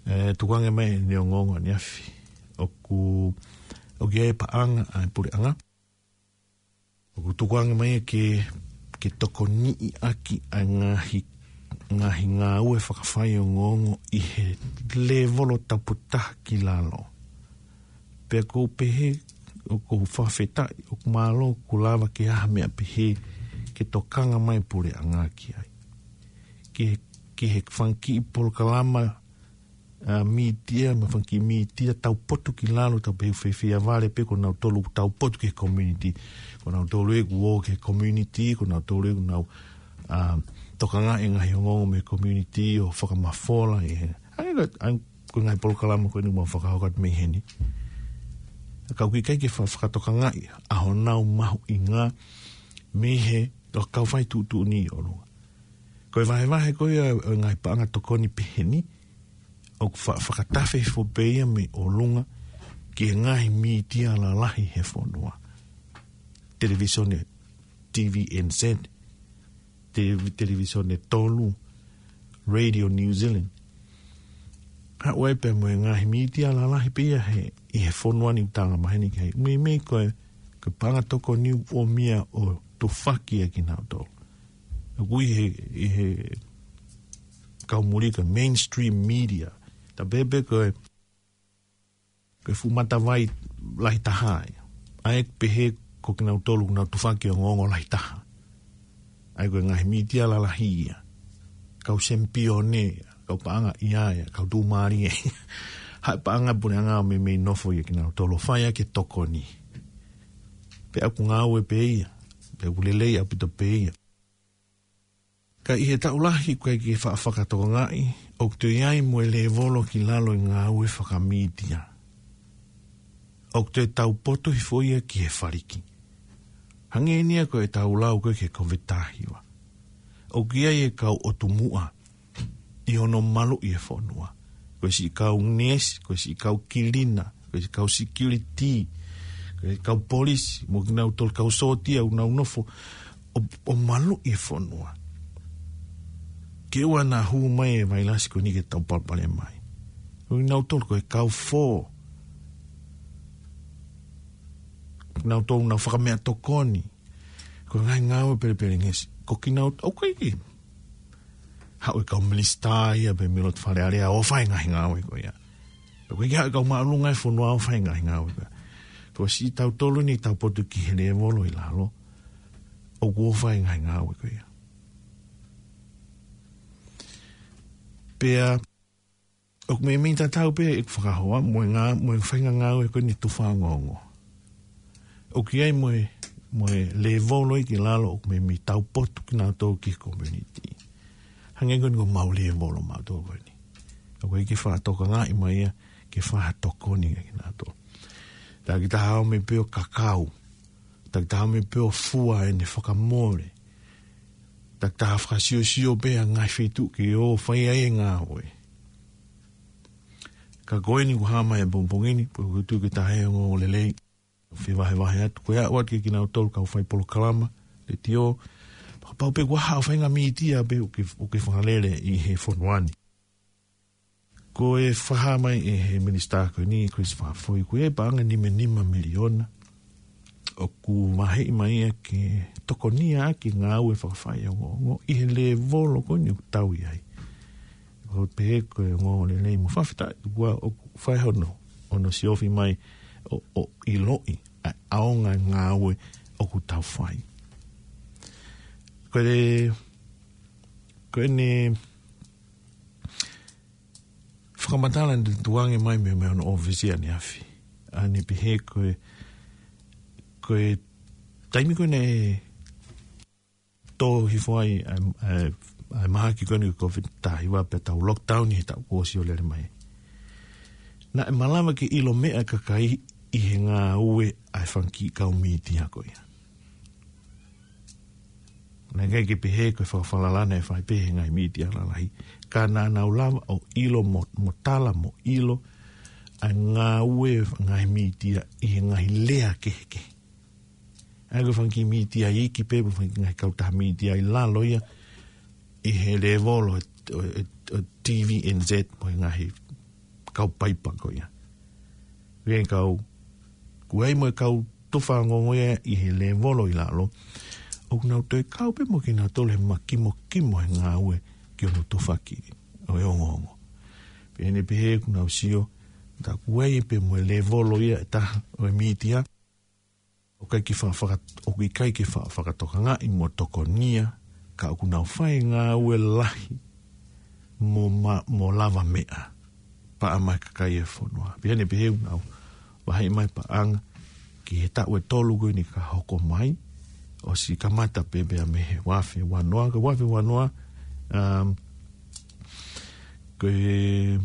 ʻE, tukuange mai ʻene ongoongo ʻaneafi. ʻOku, ʻoku ʻi ai e paʻanga ʻa e puleʻanga ʻoku tukuange mai ke, ke tokoniʻi ʻaki ʻa e ngaahi, ngaahi ngāue fakafaiongoongo ʻi he lēvolo taupotu taha ki lalo. Pea ʻoku ou pehē, ʻoku ou fakafetaʻi, ʻoku mālō kuo lava ke ʻi ai ha meʻa pehē ke tokanga mai e puleʻanga ki ai. Ki he, ki he fanga kiʻi polokalama, ʻa, mītia, mo e fanga kiʻi mītia taupotu ki lalo, tau pehē ʻoku fiefia vale pē ko nautolu ʻoku taupotu ki he community. Ko nautolu ʻoku ō ki he community, ko nautolu ʻoku nau, ʻa, tokangaʻi e ngaahi ongoongo mei he community ʻo fakamafola ʻi he. ʻA ia ko e, ʻa ia ko e ngaahi polokalama ko eni ʻoku mau fakahoko atu mei heni. Ka ʻoku ʻikai ke fa-, fakatokangaʻi ʻa honau mahuʻinga mei he, ʻo kau fai tuʻutuʻuni ʻi ʻolunga. Ko e vahevahe ko ia ʻo e ngaahi paʻanga tokoni pehē ni, ʻoku fa-, fakatafe hifo pē ia mei ʻolunga ki he ngaahi mītia lalahi he fonua. Televīsone, T V N Z, te-, Televīsone Tolu, Radio New Zealand. Haʻu ai pē mo e ngaahi mītia lalahi pē ia he, ʻi he fonua ni ʻoku tau angamaheni ki ai. Meimei ko e, ko e paʻanga tokoni ʻoku ʻomai ʻo tufaki ʻa kinautolu. ʻOku ʻi he, ʻi he kau muli ko e mainstream media. Tau pehē pē ko e, ko e fuʻu matavai lahi taha ia. ʻA ia ʻoku pehē ko kinautolu ʻoku nau tufaki ʻa e ongoongo lahi taha. ʻA ia ko e ngaahi mītia lalahi ia. Kau semipione ia, kau paʻanga ia ia, kau tuʻumālie ia. Haʻu e paʻanga puleʻanga ʻo meimei nofo ia kinautolu ʻo fai ʻaki e tokoni. Pea ʻoku ngāue pē ia, pea ʻoku lelei ʻaupito pē ia. Ka ʻi he taʻu lahi ʻoku ʻikai ke fa-, fakatokangaʻi, ʻoku toe ʻi ai mo e lēvolo ki lalo e ngāue fakamītia. ʻOku toe taupotu hifo ia ki he faliki. Hangē ni ia ko e tau lau ko ē ki he Covid taha hiva. ʻOku ʻi ai e kau ʻotu muʻa ʻi hono maluʻi e fonua. Ko e siʻi kau neesi, ko e siʻi kau kilina, ko e siʻi kau security, ko e kau polisi, mo kinautolu kau sōtia ʻoku nau nofo ʻo, ʻo maluʻi e fonua. Ke ʻoua naʻa hū mai e vailasi ko eni ke tau palopalema ai. Ko kinautolu ko e kau fō. Kinautolu ʻoku nau fakameʻatokoni. Ko e ngaahi ngāue pelepelengesi. Ko kinautolu, ʻoku ʻikai ke haʻu e kau minisitā ia pe mei loto Fale Alea ʻo fai e ngaahi ngāue ko ia. ʻOku ʻikai ke haʻu e kau māʻolunga e fonua ʻo fai e ngaahi ngāue ko ia. Ko siʻi tautolu ni taupotu ki he lēvolo ʻi lalo ʻoku ʻo fai e ngaahi ngāue ko ia. Pea ʻoku meimei tatau pē ʻeku fakahoa mo e ngā-, mo e faʻahinga ngāue ko eni tufa ongoongo. ʻOku ʻi ai mo e, mo e lēvolo ia ki lalo ʻoku meimei taupotu kinautolu ki he community. Hangē ko eni ko homau lēvolo mautolu ko eni. ʻOku ʻikai ke fakatokangaʻi mai ia ke fakatokoni ia kinautolu. Takitaha ʻomi pē ʻo kakau. Takitaha ʻomi pē ʻo fua ʻene fakamole. Takitaha fakasiosio pē ʻa e ngaahi feituʻu ke ō fai ai e ngāue. Ka ko eni kuo hā mai e pongipongi ni, pea ʻoku ou tui ko e taha e ongoongo lelei. Fevahevahe atu, ko e aʻu atu kia kinautolu kau fai polokalama letiō, fakapapau pē kuo hā ʻo fai e ngaahi mītia pē ʻoku ke, ʻoku ke fakalele ʻi he fonua ni. Ko e fakahā mai ʻe he minisitā ko eni, Chris Fafoi, ko e paʻanga nima nima miliona ʻoku vaheʻi mai ia ke tokonia ʻaki e ngāue fakafaiongoongo ʻi he lēvolo ko eni ʻoku tau ʻi ai. ʻOku pehē ko e ongoongo lelei mo fakafetaʻi, kuo ʻoku fai hono, hono siofi mai ʻo, ʻo ʻiloʻi ʻa e ʻaonga e ngāue ʻoku tau fai. Ko e, ko ʻene fakamatala naʻe tukuange mai mei, mei hono ʻōfisi ʻaneafi. ʻA ʻene pehē ko e, ko e taimi ko ē naʻe tō hifo ai ʻa e, ʻa e, ʻa e mahaki ko eni ko e Covid taha hiva pea tau lockdown ʻi he taʻu kuo ʻosi ʻo lele mai. Naʻe malava ke ʻilo meʻa e kakai ʻi he ngāue ʻa e fanga kiʻi kau mītia ko ia. Naʻe ʻikai ke pehē ko e fakafalala naʻe fai pē ʻe he ngaahi mītia lalahi. Ka naʻa nau lava ʻo ʻilo mo, mo tala mo ʻilo ʻa e ngāue ngaahi mītia ʻi he ngaahi lea kehekehe. ʻA ia ko e fanga kiʻi mītia iiki pē, mo e fanga kiʻi ngaahi kautaha mītia ʻi lalo ia ʻi he lēvolo ʻo, ʻo, ʻo T V N Z mo e ngaahi kau paipa ko ia. Ke kau, ko e ʻai mo e kau tufa ongoongo ia ʻi he lēvolo ʻi lalo, ʻoku nau toe kau pē mo kinautolu he makimokimo he ngāue ki hono tufaki ʻo e ongoongo. Pea ne pehē ʻoku nau sio, tā ko e ʻai pē mo e lēvolo ia ʻe taha ʻo e mītia, ʻoku ʻikai ke fa-, faka-, ʻoku ʻikai ke fa-, fakatokangaʻi mo tokonia, ka ʻoku nau fai ngāue lahi mo ma-, mo lavameʻa, paʻanga mai kakai e fonua. Pea ne pehē ʻoku nau vaheʻi mai paʻanga ki he taʻu ʻe tolu ko eni ka hoko mai, ʻosi kamata pē pea mei he ua afe ua noa, ko e ua afe ua noa, um, ko e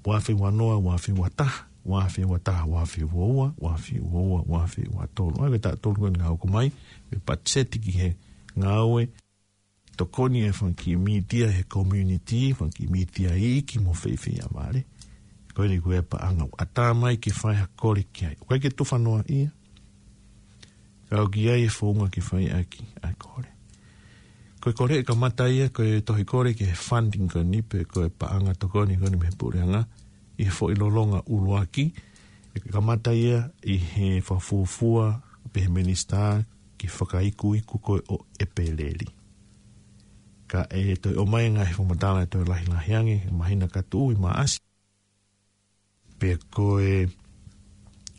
ua afe ua noa, ua afe ua taha, ua afe ua taha, ua afe ua ua, ua afe ua ua, ua afe ua tolu. ʻA ia ko e taʻu ʻe tolu ko eni ka hoko mai, ko e patiseti ki he ngāue tokoni e fanga kiʻi mītia he community, fanga kiʻi mītia iiki mo feifei a vale. Ko eni ko e paʻanga ʻoku ʻatā mai ke fai ha kole ki ai. ʻOku ʻikai ke tufa noa ia, ka ʻoku ʻi ai e founga ke fai ʻaki ʻa e kole. Ko e kole ʻe kamata ia, ko e tohi kole ki he funding ko eni pe ko e paʻanga tokoni ko eni mei he puleʻanga, ʻi he foʻi lolonga ʻuluaki, ʻe kamata ia ʻi he fakafuofua pē he minisitā ki he fakaikuiku ko ē ʻo ʻEpeleli. Ka ʻe toe ʻomai ngaahi fakamatala ʻe toe lahilahi ange, he māhina ka tuʻu ʻi Maʻasi. Pea ko e,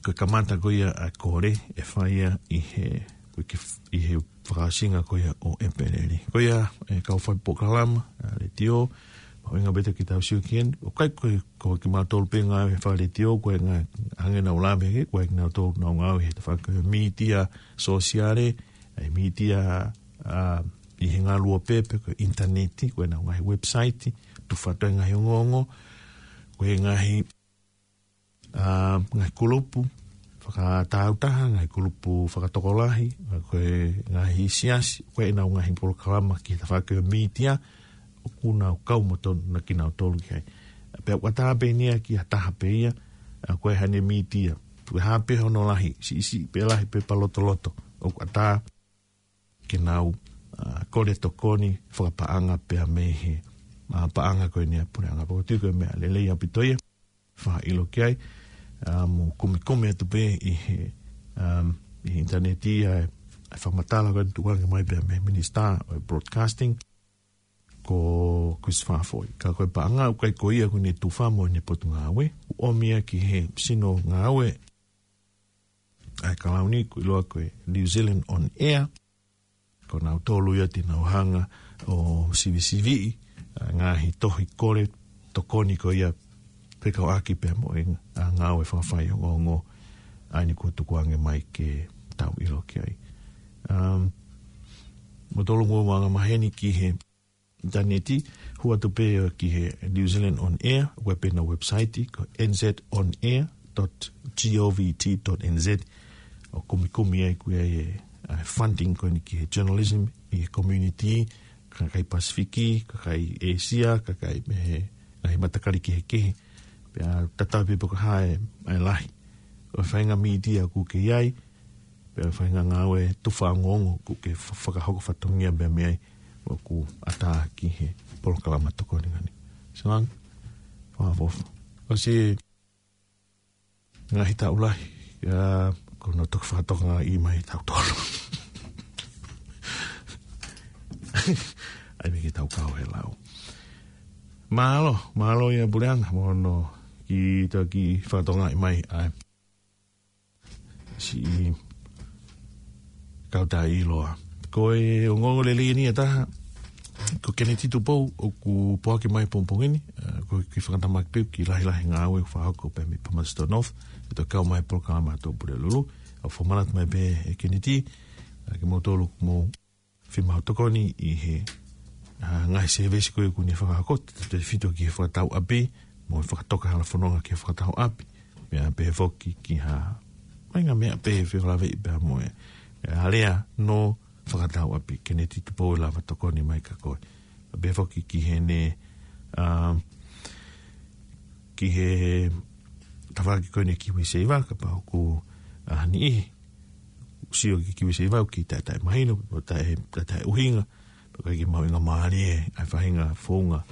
ko e kamata ko ia ʻa e kole ʻe fai ia ʻi he, ko e ki-, ʻi he fakaʻosinga ko ia ʻo ʻEpeleli. Ko ia, ʻe kau fai polokalama, ʻa, letiō, mahuʻinga pē ke tau sio ki heni, ʻoku ʻikai ko e, ko kimautolu pē ngāue he fai letiō, ko e ngaahi, hangē naʻa ku lave ki ai, ko e kinautolu ʻoku nau ngāue he tafaʻaki mītia sōsiale, ʻa e mītia, ʻa, ʻi he ngaluope pe ko e ʻinitaneti, ko ʻenau ngaahi website, tufa atu e ngaahi ongoongo, ko e ngaahi, ʻa, ngaahi kulupu fakatāutaha, ngaahi kulupu fakatokolahi, ko e ngaahi siasi, ko ʻenau ngaahi polokalama ki he tafaʻaki mītia, ʻoku nau kau mo tonu na kinautolu ki ai. Pea ʻoku ʻatā pē eni ia ki ha taha pē ia, ʻa, ko e hane mītia. Ko e hā pē hono lahi, siʻisiʻi pē lahi pe palotoloto. ʻOku ʻatā ke nau, ʻa, kole tokoni fakapaʻanga pea mei he, ʻa, paʻanga ko eni ʻa e puleʻanga. Pea ʻoku ou tui ko e meʻa lelei ʻaupito ia, fakaʻilo ki ai, ʻa, mo kumikumi atu pē ʻi he, um, ʻi he ʻinitaneti ʻa e, ʻa e fakamatala ko eni tukuange mai pea mei he minisitā ʻo e broadcasting, ko Chris Fafoʻi. Ka ko e paʻanga ʻoku ʻikai ko ia ko eni tufa mo ʻene potungāue, ʻoku ʻomi ia ki he sino ngāue ʻa e kalauni ʻoku ʻiloa ko e New Zealand On Air. Ko nautolu ia te nau hanga ʻo sivisiviʻi, ʻa, ngaahi tohi kole tokoni ko ia fekauʻaki pea mo e, ʻa, ngāue fakafai ongoongo ʻa eni kuo tukuange mai ke tau ʻilo ki ai. Um, mo tolu mo anga maheni ki he ʻinitaneti, hū atu pē ki he New Zealand On Air, ʻoku ʻi ai pē ʻenau website, ko N Z on air dot G O V T dot N Z, ʻo kumikumi ai ko ia e, ʻa, funding ko eni ki he journalism ʻi he community, kakai Pasifiki, kakai ʻĒsia, kakai mei he ngaahi matakali kehekehe. Pea tatau pē pe ko e hā e, ʻa e lahi ʻo e faʻahinga mītia ʻoku ke ʻi ai, pea faʻahinga ngāue tufa ongoongo ʻoku ke fa-, fakahoko fatongia pea mei ai, ʻoku ʻatā ki he polokalama tokoni ko eni. Siʻi Langi, fakaʻofoʻofa. ʻOsi ngaahi taʻu lahi, ʻa, ko hono toki fakatokangaʻi mai taʻu tolu. ʻAi mei ke tau kau he lau. Mālō, mālō ia puleʻanga, mo hono kiʻi toki fakatokangaʻi mai, ʻa e siʻi kautaha ʻiloa. Ko e ongoongo lelei eni ʻe taha, ko Keneti Tupou, ʻoku poaki mai pongipongi ni, ʻa, ko e kiʻi fakatamaki pē, kiʻi lahilahi ngāue ʻoku fakahoko pē mei Palmerston North, ʻe toe kau mai polokalama ʻa Tō Pulelulu, ʻo fakamanatu mai pē ʻe Keneti, ʻa, kimoutolu ʻoku mou fiemaʻu tokoni ʻi he, ʻa, ngaahi sēvesi ko ē ʻoku ne fakahoko, tautautefito ki he fakatau ʻapi, mo e fakatoka hala fononga ki he fakatau ʻapi. Pea pehē foki ki ha, mai ngaahi meʻa pehē fekauʻaki pea mo e, ʻa, lea no fakatau ʻapi, Keneti Tupou ʻe lava tokoni mai kia koe. Pea pehē foki ki heʻene, ʻa, ki he tafaʻaki ko eni e KiwiSaver, kapau ʻoku, ʻa, niʻihi ʻoku sio ki he KiwiSaver ʻoku ʻikai ke taʻe mahino, ʻoku taʻe, taʻe ʻuhinga, pe ʻoku ʻikai ke mahuʻinga mālie ʻa e faʻahinga founga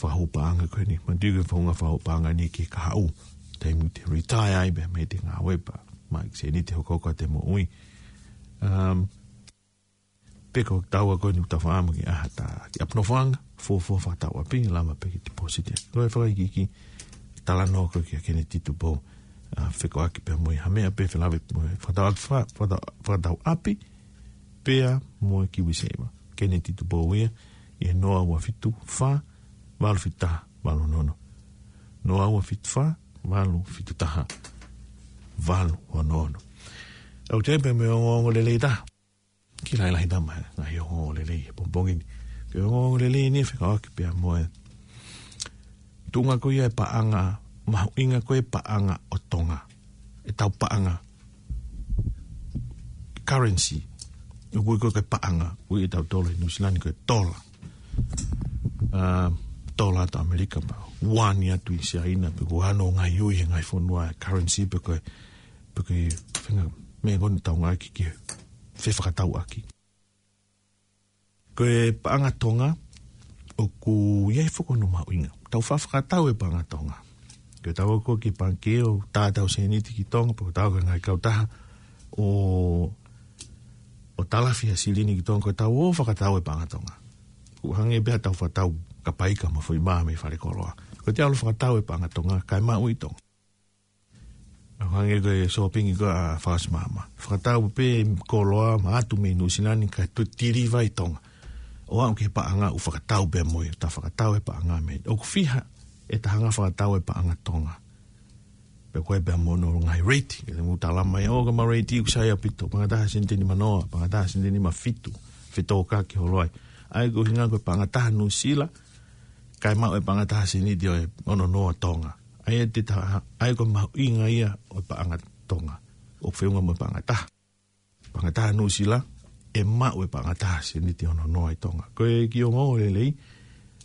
fakahū paʻanga ko eni. Manatuʻi ko e founga fakahū paʻanga ni ki he kahaʻu, taimi te retire ai pea mei he ngāue pea maʻu e sēniti hokohoko ʻa e moʻui. Um, pe ko e taua ko eni ʻoku tau faʻa maʻu ki ai ha taha, ki ʻapi nofoʻanga, fuofua fakatau ʻapi, lava pē ke deposit ia. Ko e fakaikiiki, talanoa ko ē kia Keneti Tupou, ʻa, fekauʻaki pea mo ia ha meʻa pē felāveʻi mo e fakatau ʻapi, fa-, fakatau, fakatau ʻapi, pea mo e KiwiSaver. Keneti Tupou ia, ʻi he noa ua fitu fā, valu fitu taha, valu ono ono. Noa ua fitu fā, valu fitu taha, valu ono ono. ʻOku ou tui pē mo e ongoongo lelei taha. Kiʻi lahilahi taha mai, ngaahi ongoongo lelei he pongipongi ni. Ko e ongoongo lelei ni fekauʻaki pea mo e tuʻunga ko ia e paʻanga, mahuʻinga ko e paʻanga ʻo Tonga. ʻEtau paʻanga, currency. ʻOku ui ko e paʻanga, ui ʻe tautolu ʻi Nuʻu Sila ni ko e tola. ʻA, tola atu ʻAmelika pea ua ni atu ʻi Siaina, pe ko e hā hono ngaahi ui he ngaahi fonua, currency pe ko e, pe ko e faʻahinga meʻa ko eni ʻoku tau ngāueʻaki ki he fefakatauʻaki. Ko e paʻanga Tonga, ʻoku ʻi ai foki hono mahuʻinga. Tau faʻa fakatau e paʻanga Tonga. Ko ʻetau ō ko ē ki he pangikē ʻo tā ʻetau sēniti ki Tonga, pe ko ʻetau ō ki he ngaahi kautaha ʻo, ʻo talafi ha silini ki Tonga, ko ʻetau ō ʻo fakatau e paʻanga Tonga. ʻOku hangē pē haʻatau fakatau kapaika mo e foʻi mā mei falekoloa. Ko ʻete ō ʻo fakatau e paʻanga Tonga, kae maʻu ʻi Tonga. ʻOku hangē ko e sōpingi ko ē ʻa Fakasimama. Fakatau pē koloa mo ʻatu mei Nuʻu Sila ni kae toe tiliva ʻi Tonga. ʻO aʻu ki he paʻanga ʻoku fakatau pē mo ia, ta fakatau e paʻanga mei. ʻOku fiha ʻeta hanga ʻo fakatau e paʻanga Tonga. Pe ko e pea mo hono ngaahi rate, ke mou tala mai, ʻo, ko ʻema rate ʻoku sai ʻaupito, paʻanga taha sēniti nima noa, paʻanga taha sēniti nima fitu, fetōkaki holo ai. ʻA ia ko e ʻuhinga ko e paʻanga taha Nuʻu Sila, kae maʻu e paʻanga taha sēniti ʻo e ono noa Tonga. ʻA ia te ta, ʻa ia ko e mahuʻinga ia ʻo e paʻanga Tonga. ʻOku feʻunga mo e paʻanga taha. Paʻanga taha Nuʻu Sila, ʻe maʻu e paʻanga taha sēniti ono noa ʻi Tonga. Ko e kiʻi ongoongo lelei,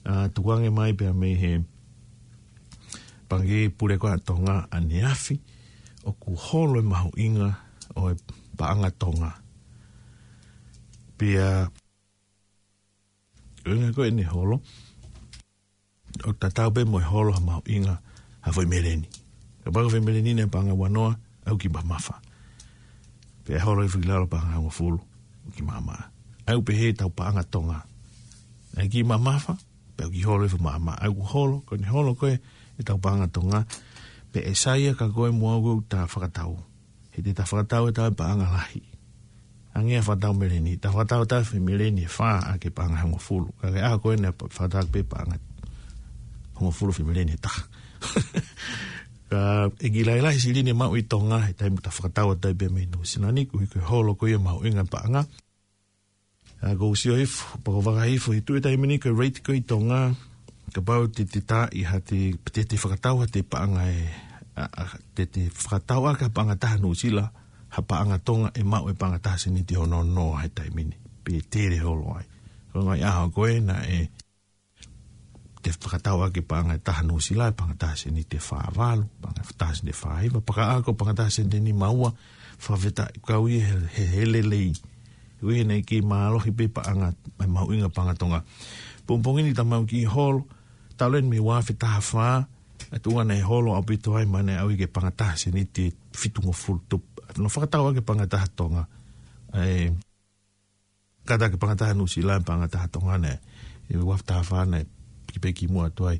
ʻa, tukuange mai pea mei he Pangikē Pule ko ē ʻa Tonga ʻaneafi, ʻoku holo e mahuʻinga ʻo e paʻanga Tonga. Pea, ko e ʻuhinga ko eni holo, ʻoku tatau pē mo e holo ha mahuʻinga ha foʻi meleni. Kapau ko e foʻi meleni ʻi he paʻanga ua noa, ʻoku kiʻi mamafa. Pea holo hifo ki lalo paʻanga hongofulu, ʻoku kiʻi maʻamaʻa. ʻOku pehē ʻetau paʻanga Tonga. ʻOku kiʻi mamafa, pea ʻoku kiʻi holo hifo maʻamaʻa. ʻOku holo, ko ʻene holo ko ē ʻetau paʻanga Tonga. Pea ʻe sai ia kia koe mo au ʻoku ta fakatau. He te ta fakatau ʻe tautolu e paʻanga lahi. Hangē ha fakatau meleni, ta fakatau ʻe tautolu e foʻi meleni ʻe fā ʻaki e paʻanga hongofulu. Ka ko e ʻaho ko ē naʻe fakatau pē paʻanga hongofulu foʻi meleni ʻe taha. Ka ʻoku kiʻi lahilahi silini ʻe maʻu ʻi Tonga, he taimi ʻoku ta fakatau ʻe tautolu pē mei Nuʻu Sila ni, koeʻuhi ko e holo ko ia e mahuʻinga e paʻanga. ʻA, ʻoku ou sio hifo, pea ʻoku ou vakai hifo, he tuʻu he taimi ni ko e rate ko ē ʻi Tonga, kapau te te tā ʻi ha te, te te fakatau ha te paʻanga ʻe, ʻa, ʻa, te te fakatau ʻaki ha paʻanga taha Nuʻu Sila, ha paʻanga Tonga ʻe maʻu e paʻanga taha sēniti ono noa he taimi ni. Pe tele holo ai. Ko e ngaahi ʻaho ko ē naʻe te fakatau ʻaki e paʻanga ʻe taha Nuʻu Sila, e paʻanga taha sēniti ʻe fā valu, paʻanga taha sēniti ʻe fā hiva, pea ka ʻalu ko e paʻanga taha sēniti ʻe nima ua, fakafetaʻi kau ia he, he, he lelei. Koeʻuhi naʻe kiʻi mālohi pē paʻanga, ʻa e mahuʻinga paʻanga Tonga. Pongipongi ni ta maʻu kiʻi holo, talu eni mei he ua afe taha fā, ʻa e tuʻunga naʻe holo ʻaupito ai, mo naʻe ʻalu ia ki he paʻanga taha sēniti ʻe fitungofulu tupu. Naʻe fakatau ʻaki e paʻanga taha Tonga. ʻA e, kātaki paʻanga taha Nuʻu Sila, paʻanga taha Tonga naʻe, ʻi he ua afe taha fā naʻe, kiʻi pē kimuʻa atu ai,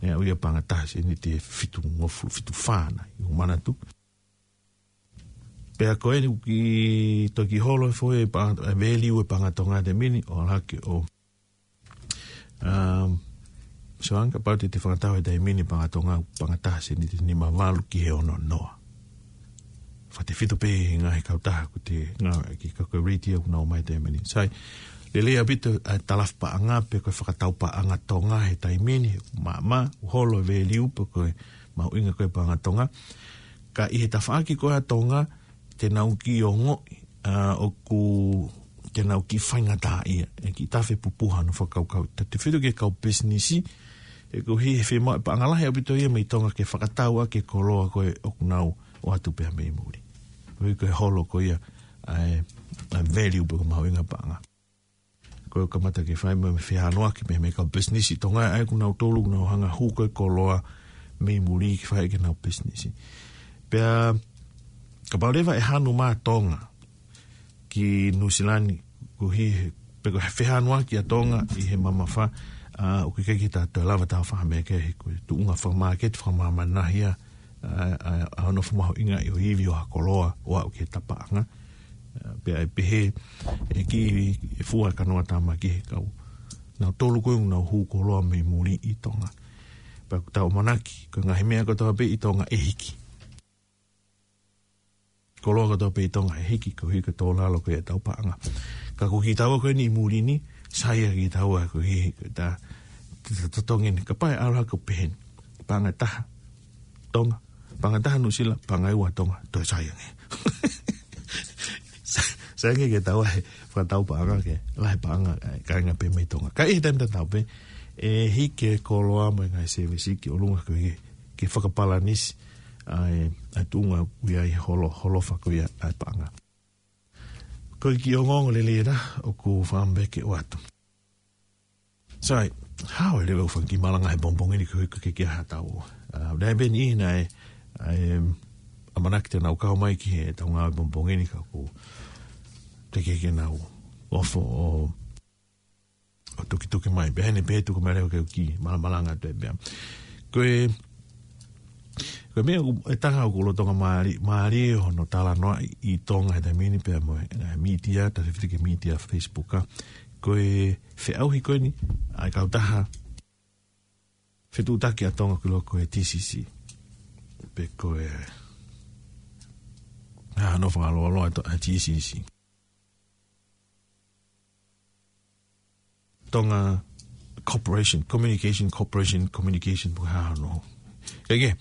naʻe ʻalu ia paʻanga taha sēniti ʻe fitungofulu, fitu fā naʻe, ʻoku ou manatu. Pea ko eni ʻoku kiʻi, toki holo hifo e paʻanga, e value e paʻanga Tonga he taimi ni, ʻo ʻalu hake ʻo, um, so ʻa ia kapau te te fakatau he taimi ni paʻanga Tonga, paʻanga taha sēniti ʻe nima valu ki he ono noa. Fakatefito pē he ngaahi kautaha ʻoku te ngāueʻaki, ka ko e rate ia ʻoku nau ʻomai he taimi ni. Sai, lelei ʻaupito ʻa e talafi paʻanga pe ko e fakatau paʻanga Tonga he taimi ni, maʻamaʻa, holo e value pe ko e mahuʻinga ko ē e paʻanga Tonga. Ka ʻi he tafaʻaki ko ē ʻa Tonga, te nau kiʻi ongoʻi, ʻa, ʻoku, te nau kiʻi faingataʻaʻia, ʻe kiʻi tafe pupuha hono fakakaukau. Tatau pē ki he kau pisinisi, He koeʻuhi he fiemaʻu e paʻanga lahi ʻaupito ia mei Tonga ke fakatau ʻaki e koloa ko ē ʻoku nau ʻoatu pē mei muli. Koeʻuhi ko e holo ko ia ʻa e, ʻa e value pe ko e mahuʻinga paʻanga. Ko e kamata ke fai mo e fehānuaki mei he kau pisinisi Tonga ʻa ia ʻoku nau tolu, ʻoku nau hanga hū ko ē koloa mei muli ke fai ki heʻenau pisinisi. Pea kapau leva ʻe hanu mai Tonga ki Nuʻusila ni, koeʻuhi he, pe ko e fehānuaki ʻa Tonga ʻi he mamafa, ʻa, ʻoku ʻikai ke ta toe lava ta fahameke he ko e tuʻunga fakamāketi, fakamāmani ia, ʻa, ʻa, ʻa hono fakamahuʻingaʻi ʻo e ivi ʻo ha koloa ʻo aʻu ki he tapaʻanga. ʻA, pea ʻe pehē, ʻe kiʻi, ʻe fua e kanoa tāmaki he kau. Nau tolu ko ē ʻoku nau hū koloa mei muli ʻi Tonga. Pea ʻoku tau ʻamanaki, ko e ngaahi meʻa kotoa pē ʻi Tonga ʻe hiki. Koloa kotoa pē ʻi Tonga ʻe hiki koeʻuhi ko e tō lalo ko ē ʻetau paʻanga. Ka ko kitaua ko eni ʻi muli ni, sai ia kitaua koeʻuhi ko e ta, ta, ta totongi ni, kapau ʻe ʻalu hake ʻo pehē ni. Paʻanga ʻe taha Tonga, paʻanga ʻe taha Nuʻusila, paʻanga ʻe ua Tonga, toe sai ange. Sa-, sai ange ke tau ʻai fakatau paʻanga ke lahi paʻanga, ʻa e kāinga pē mei Tonga. Ka ʻi he taimi tatau pē, ʻe hiki e koloa mo e ngaahi sēvesi ki ʻolunga koeʻuhi ke fakapalanisi ʻa e, ʻa e tuʻunga ʻoku ʻi ai e holo, holofa ko ia ʻa e paʻanga. Ko e kiʻi ongoongo lelei ena ʻoku ou fakaʻamu pē ke ʻoatu. Sai, hao e leva ʻo e fakakimalanga he pongipongi ni koeʻuhi ko e ke ke hatau. ʻA, ʻoku ʻi ai pē niʻihi naʻe, ʻa e, ʻamanaki te nau kau mai ki heʻetau ngāue pongipongi ni ka ʻoku teʻeki ke nau ofo ʻo ʻo tukituki mai. Pea heni pē tuku mai leva ke u kiʻi malamalanga atu pē. Ko e, ko e meʻa ʻoku, e taha ʻoku lolotonga mālie, mālie hono talanoaʻi ʻi Tonga he taimi ni pea mo e, e mītia, tautefito ki he mītia Facebook ʻa. Ko e feʻauhi ko eni, ʻa e kautaha fetuʻutaki ʻa Tonga ki loto ko e T C C. Pe ko e, ʻa, hono fakaloaloa ʻa e T C C. Tonga Corporation, Communication Corporation, Communication, pe ko e hā hono. Ke ke,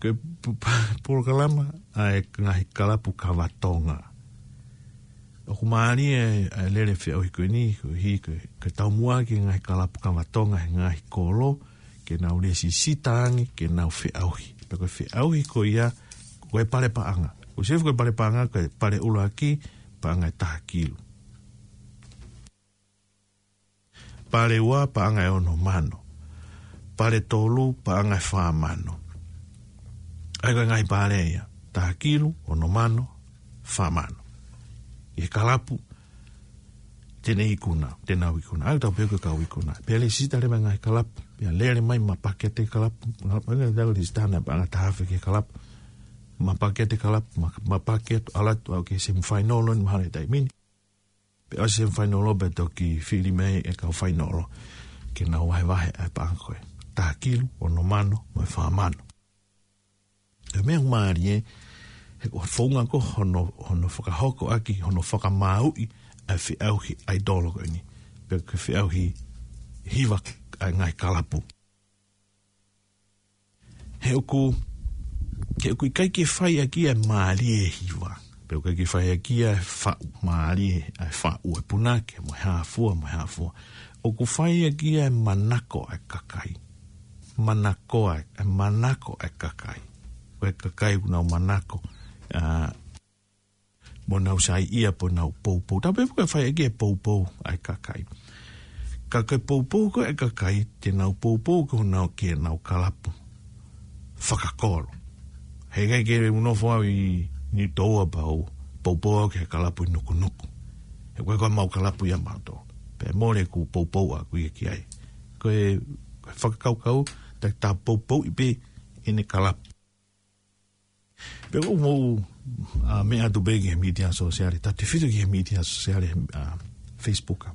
ke pu-, pa-, polokalama ʻa e ngaahi kalapu kava Tonga. ʻOku mālie ʻa e, ʻa e lele feʻauhi ko eni, koeʻuhi ko e, ke taumuʻa ki he ngaahi kalapu kava Tonga he ngaahi kolo, ke nau lēsisita ange, ke nau feʻauhi. Pea ko e feʻauhi ko ia, ko e pale paʻanga. Ko e sefu ko e pale paʻanga, ko e pale ʻuluaki, paʻanga ʻe taha kilu. Pale ua, paʻanga ʻe ono mano. Pale tolu, paʻanga ʻe fā mano. ʻA ia ko e ngaahi pale ia. Taha kilu, ono mano, fā mano. ʻI he kalapu, te ne ikuna, te nau ikuna. ʻA ia tau pehē ko e kau ikuna. Pea lēsisita leva e ngaahi kalapu. Pea lele mai mapaki atu e kalapu. Ngā paʻanga tau lēsisita na paʻanga taha afe ki he kalapu. Mapaki atu e kalapu, ma-, mapaki atu ʻalu atu ʻo aʻu ki he semifinal ʻo ne mahalo he taimi ni. Pea ʻosi e semifinal pea toki fili mai e kau final ke nau vahevahe ʻa e paʻanga ko ē. Taha kilu, ono mano, mo e fā mano. Ko e meʻa mālie, he ko e founga ko hono, hono fakahoko ʻaki, hono fakamāuʻi ʻa e feʻauhi ʻaitolo ko eni. Pe ko e feʻauhi hiva ʻa e ngaahi kalapu. He ʻoku, he ʻoku ʻikai ke fai ʻaki ʻa e mālie e hiva. Pe ʻoku ʻikai ke fai ʻaki ʻa e faʻu mālie, ʻa e faʻu e punake, mo e hā fua, mo e hā fua. ʻOku fai ʻaki ʻa e manako ʻa e kakai. Manako ʻa e, ʻa e manako ʻa e kakai. Ko e kakai ʻoku nau manako, ʻa, mo nau saiʻia pe nau poupou. Tau pehē ko e fai ʻaki e poupou ʻa e kakai. Ka ko e poupou ko ē ʻa e kakai, te nau poupou ko ē nau ki heʻenau kalapu fakakolo. He ʻikai ke u nofo au ʻi Niutoua pea u poupou au ki he kalapu ʻi Nukunuku. He ko e ko mau kalapu ia mautolu. Pea mole ʻeku poupou ʻaʻaku ia ki ai. Ko e, ko e fakakaukau, ta, ta poupouʻi pē ʻene kalapu. Pea ʻoku mou, ʻa, meʻa atu pē ki he mītia sōsiale, tautefito ki he mītia sōsiale, ʻa, Facebook ʻa.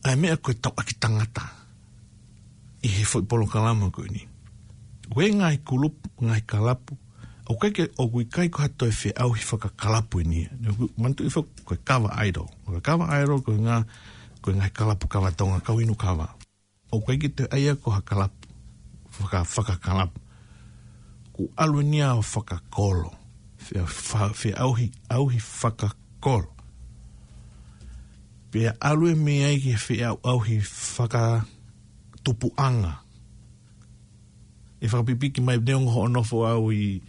ʻA e meʻa ko e tauʻaki tangata ʻi he foʻi polokalama ko eni. Ko e ngaahi kulupu, ngaahi kalapu, ʻoku ʻikai ke, ʻoku ʻikai ko ha toe feʻauhi fakakalapu eni ia. Naʻa ku manatuʻi foki ko e kava ʻaitolo. Ko e kava ʻaitolo, ko e ngā, ko e ngaahi kalapu kava Tonga, kau inu kava. ʻOku ʻikai ke toe ʻai ia ko ha kalapu, faka-, fakakalapu. Kuo ʻalu eni ia ʻo fakakolo. Fe-, fa-, feʻauhi, ʻauhi fakakolo. Pea ʻalu e meʻa ia ki he feʻauʻauhi faka-, tupuʻanga. ʻE fakapipiki mai neongo hoʻo nofo ʻau ʻi,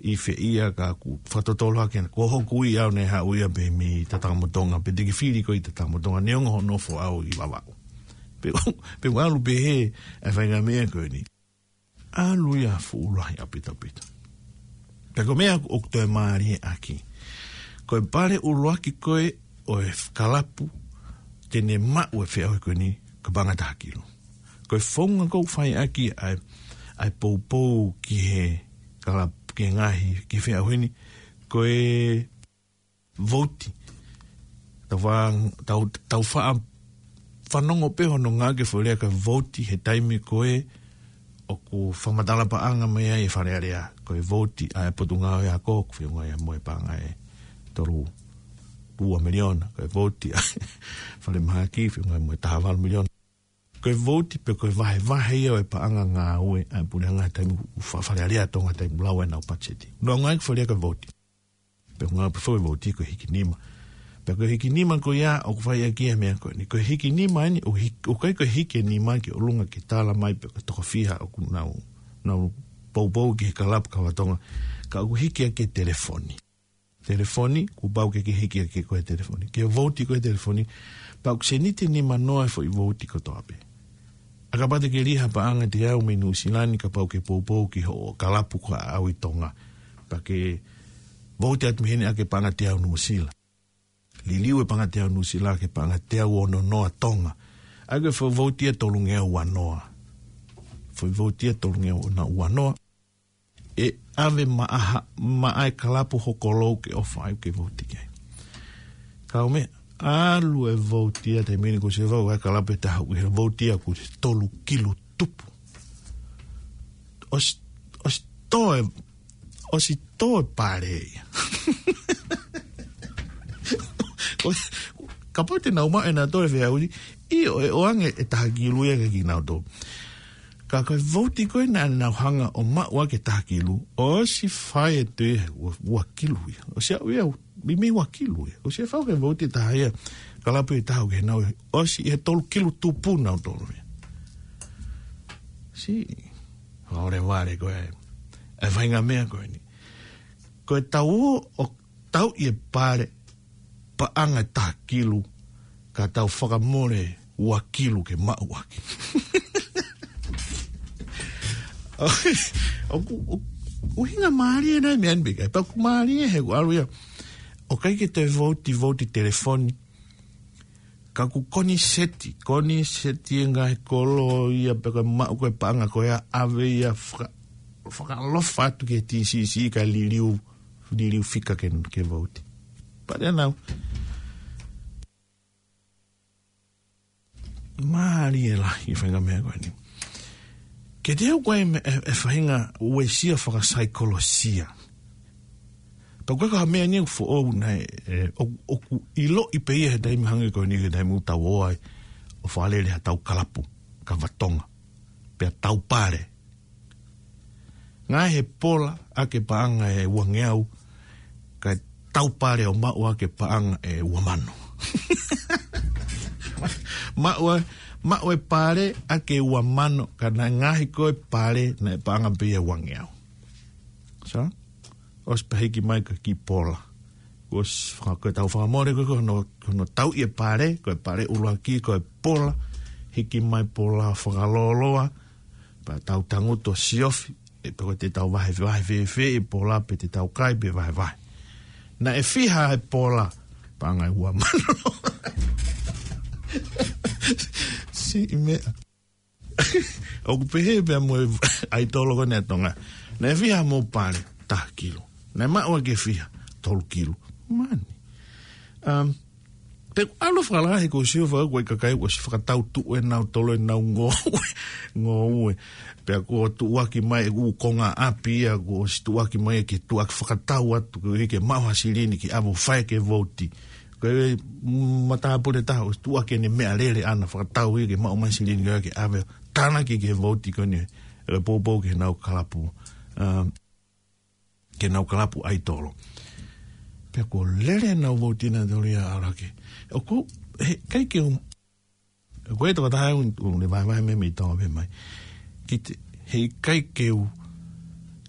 ʻi fē ia ka ʻoku fakatotolo hake, ko hoku ui ʻau naʻe haʻu ia pē mei Tatakamotonga, pe te ke fili koe ʻi Tatakamotonga, neongo hoʻo nofo ʻau ʻi Vavaʻu. Pea, pea ʻalu pē he, ʻa e faʻahinga meʻa ko eni. ʻAlu ia fuʻu lahi ʻaupito ʻaupito. Pea ko e meʻa ʻoku toe mālie ʻaki. Ko e pale ʻuluaki ko ē ʻo e kalapu te ne maʻu e feʻauhi ko eni, ko e paʻanga taha kilu. Ko e founga ʻoku fai ʻaki ʻa e, ʻa e poupou ki he kalapu, ki he ngaahi, ki he feʻauhi ni, ko e vouti. Tau fa-, tau, tau fa-, fanongo pē hono ngāueʻaki e foʻi lea ko e vouti he taimi ko ē ʻoku fakamatala paʻanga mai ai e Fale Alea. Ko e vouti ʻa e Potungāue Ako, ʻoku feʻunga ia mo e paʻanga ʻe tolu ua miliona. Ko e vouti ʻa e Falemahaki, feʻunga ia mo e taha valu miliona. Ko e vouti pe ko e vahevahe ia ʻo e paʻanga ngāue ʻa e puleʻanga he taimi ʻoku fa-, Fale Alea ʻo Tonga he taimi ʻoku lau ai ʻenau patiseti. Naʻa nau ngāueʻaki e foʻi lea ko e vouti. Pea ʻoku ngāueʻaki e foʻi vouti ko e hiki nima. Pea ko e hiki nima ko ia ʻoku fai ʻaki e meʻa ko eni. Ko e hiki nima eni, ʻoku hik-, ʻoku ʻikai ko e hiki e nima ki ʻolunga ke tala mai pe ko e toko fiha ʻoku nau, nau poupou ki he kalapu kava Tonga. Ka ʻoku hiki ʻaki e telefoni. Telefoni, kuo pau ke ke hiki ʻaki ko e telefoni. Ke vouti ko e telefoni, pea ʻoku seniti nima noa e foʻi vouti kotoa pē. ʻA, kapau te ke lī ha paʻanga teau mei Nuʻusila ni, kapau ke poupou ki hoʻo kalapu ko ē ʻi Tonga. Pea ke vouti atu mei heni ʻaki e paʻanga teau Nuʻusila. Liliu e paʻanga teau Nuʻusila ki he paʻanga teau ono noa Tonga. ʻA ia ko e foʻi vouti ia tolungeau ua noa. Foʻi vouti ia tolungeau ua noa. ʻE ʻave maʻa ha, maʻa e kalapu hoʻo kolou ke ʻofa ai ke vouti ki ai. Ka ʻoku meʻa, ʻalu e vouti ia taimi ni kuo ʻosi vau ʻa e kalapu ʻe taha, ʻi he vouti ia kuo ʻosi tolu kilu tupu. ʻOsi, ʻosi tō e, ʻosi tō e pale ia. Ko, kapau te nau maʻu ʻe nautolu e feʻauhi, ʻio, ʻe ʻoange e taha kilu ia kia kinautolu. Ka ko e vouti ko ē naʻa nau hanga ʻo maʻu ʻaki e taha kilu, ʻosi fai atu ia ua, ua kilu ia. ʻOsi aʻu ia, meimei ua kilu ia. ʻOsi fai ʻaki e vouti ʻe taha ia, kalapu ʻe taha ʻoku ʻi ai ʻenau, ʻosi ʻi he tolu kilu tupu nautolu ia. Siʻi, ʻoku lelei vale ko ē. E faʻahinga meʻa ko eni. Ko e tau ō ʻo tauʻi e pale paʻanga ʻe taha kilu, ka tau fakamole ua kilu ke maʻu ʻaki. ʻOku, ʻoku, ʻuhinga mālie nai meʻa ni pē ʻikai, pea ʻoku mālie he ʻoku ʻalu ia. ʻOku ʻikai ke toe vouti, vouti telefoni. Ka ʻoku koniseti, koniseti e ngaahi kolo ia pe ko e maʻu ko ē paʻanga ko ia ʻave ia faka-, fakaʻalofa atu ki he T C C kae liliu, liliu fika ke, ke vouti. Pea nau. Mālie lahi e faʻahinga meʻa ko eni. Ke te au ko e me-, e, e faʻahinga uesia fakasaikolosia. Pea ko e ka meʻa ni ʻoku foʻou nai, e, ʻo, ʻoku ʻiloʻi pē ia he taimi hangē ko eni he taimi ʻoku tau ō ai ʻo fakalele ha tau kalapu kava Tonga. Pea tau pale. Ngaahi he pola ʻaki e paʻanga ʻe uangeau, kae tau pale ʻo maʻu ʻaki e paʻanga ʻe ua mano. Maʻu ʻa, maʻu e pale ʻaki e ua mano, ka naʻe ngaahi ko e pale naʻe paʻanga pē ia ʻe uangeau. Sa? ʻOsi pē hiki mai ka ki pola. ʻOsi faka-, ko e tau fakamole ko ē ko hono, ko hono tauʻi e pale, ko e pale ʻuluaki, ko e pola, hiki mai pola fakalōloa, pea tau tangutu ʻo siofi, ʻe pe ko te tau vahevahe fēfē e pola pe te tau kai pe vahevahe. Naʻe fiha e pola, paʻanga ʻe ua mano. Siʻi meʻa. ʻOku pehē pea mo e ʻaitolo ko eni ʻa Tonga. Naʻe fiha mo pale, taha kilu. Naʻe maʻu ʻaki e fiha, tolu kilu. Mani. Um, Pea ʻalu fakalahi ko e sio faka ko e kakai ʻosi fakatau tuʻu ʻe nautolu ʻenau ngoue, ngoue. Pea kuo tuʻuaki mai e ʻū konga ʻapi ia, kuo ʻosi tuʻuaki mai ke tuʻuaki fakatau atu, ko e ke maʻu ha silini ke ʻave ʻo fai ʻaki e vouti. Ko e matāpule ʻe taha ʻosi tuʻuaki ʻene meʻalele ʻana fakatau ia ke maʻu mai silini ko ē ke ʻave ʻo tānaki ki he vouti ko eni, ʻe poupou ki heʻenau kalapu. Um, ki heʻenau kalapu ʻaitolo. Pea kuo lele ʻenau vouti nautolu ia ʻalu hake. ʻOku, he, ʻikai ke u Ko e tokotaha ʻoku ne vahevahe mai mei Tonga pē mai. Ki te, heʻikai ke u,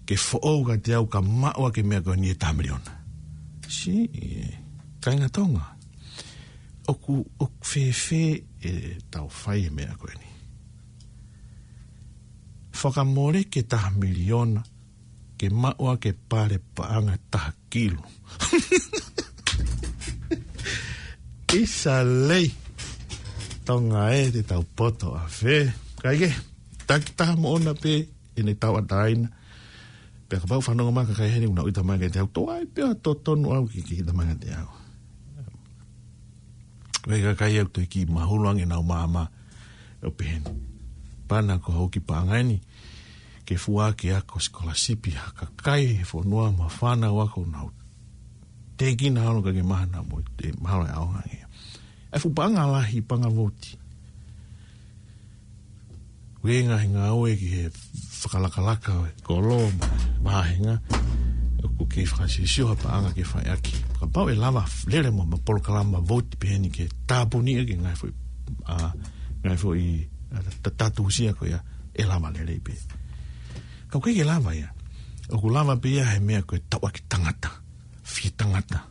ke foʻou kiate au ka maʻu ʻa e meʻa ko eni ʻe taha miliona. Siʻi kāinga Tonga. ʻOku, ʻoku fēfē ʻetau fai e meʻa ko eni. Fakamole ke taha miliona, ke maʻu ʻa e pale paʻanga taha kilu. ʻIsa lei. Tonga ē, te tau poto ʻafē. Kae kehe, taki taha moʻona pē ʻene tauʻatāina. Pea kapau fanongo mai kakai heni ʻoku nau ʻita mai kiate au, toe ʻai pē ʻa e totonu au ke, ke ʻita mai kiate au. Ko e kakai ʻoku toe kiʻi mahulu ange ʻenau maama ʻo pehē ni. Pana ko hoku paʻanga eni ke fua ke ako sikolasipi ha kakai he fonua mo e fānau ako ʻoku nau teʻeki ai holo ke mahana mo e mahalo e ʻaonga ange. ʻA e fuʻu paʻanga lahi, paʻanga vouti. Ko e ngaahi ngāue ki he fakalakalaka ʻo e kolo mo e vāhenga, ʻoku kei fakasiosio ha paʻanga ke fai ʻaki. Kapau ʻe lava lele mo e polokalama vouti pehē ni ke tāpuni ʻaki e ngaahi foʻi, ʻa, ngaahi foʻi, ʻa, ta-, tatusia ko ia ʻe lava lelei pē. Ka ʻoku ʻikai ke lava ia. ʻOku lava pē ia he meʻa ko e tauʻaki tangata, fie tangata.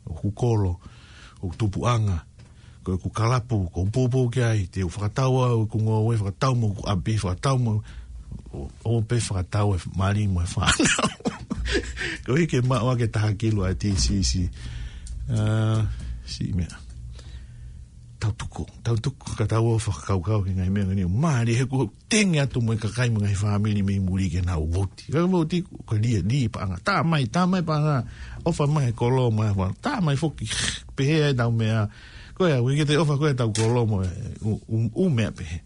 ʻOku kolo, ʻoku tupuʻanga, ko ʻeku kalapu, ko e poupou ki ai, te u fakatau au ʻeku ngoue, fakatau mo ʻeku ʻapi, fakatau mo, ʻo, ʻo pē fakatau e mali mo e fānau. Koeʻuhi ke maʻu ʻa e taha kilu ʻa e T C C. ʻA, siʻi meʻa. Tau tuku, tau tuku, ka tau ō fakakaukau ki he ngaahi meʻa ni. Mālie he kuo tengi atu mo e kakai mo e ngaahi fāmili mei muli ke nau vouti. Ka vouti ko e lī, lī paʻanga. Tā mai, tā mai paʻanga. ʻOfa mai kolo mai, tā mai foki. Pehē ai ʻetau meʻa. Ko ia, ʻoku ʻikai ke toe ʻofa ko ia ʻetau kolo mo e ʻū, ʻū, ʻū meʻa pehē.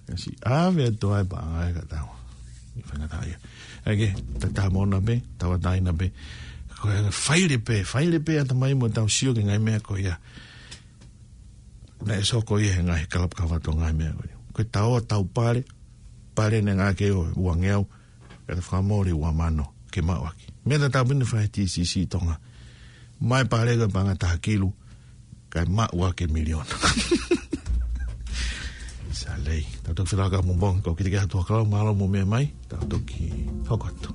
Ka siʻi ʻave atu ai paʻanga ʻe ka tau. ʻI faingataʻa ia. ʻAi ke, taki taha moʻona pē, tauʻatāina pē. Ko ia, faile pē, faile pē ʻatamai mo ʻetau sio ki he ngaahi meʻa ko ia. Naʻe soko ia he ngaahi kalapu kaveinga ngaahi meʻa ko ia. Ko e tau, tau pale, pale ne ngā ke ʻo uangeau, ka te fakamole uamano ke maʻu ʻaki. Meʻa tatau pē eni fai T C C Tonga. Mai pale ka paʻanga taha kilu, kae maʻu ʻaki e miliona. ʻIsa lei. Tau toki felaka mo bong, ko kita ke atu hakalau, mālō mo meʻa mai, tau toki hoko atu.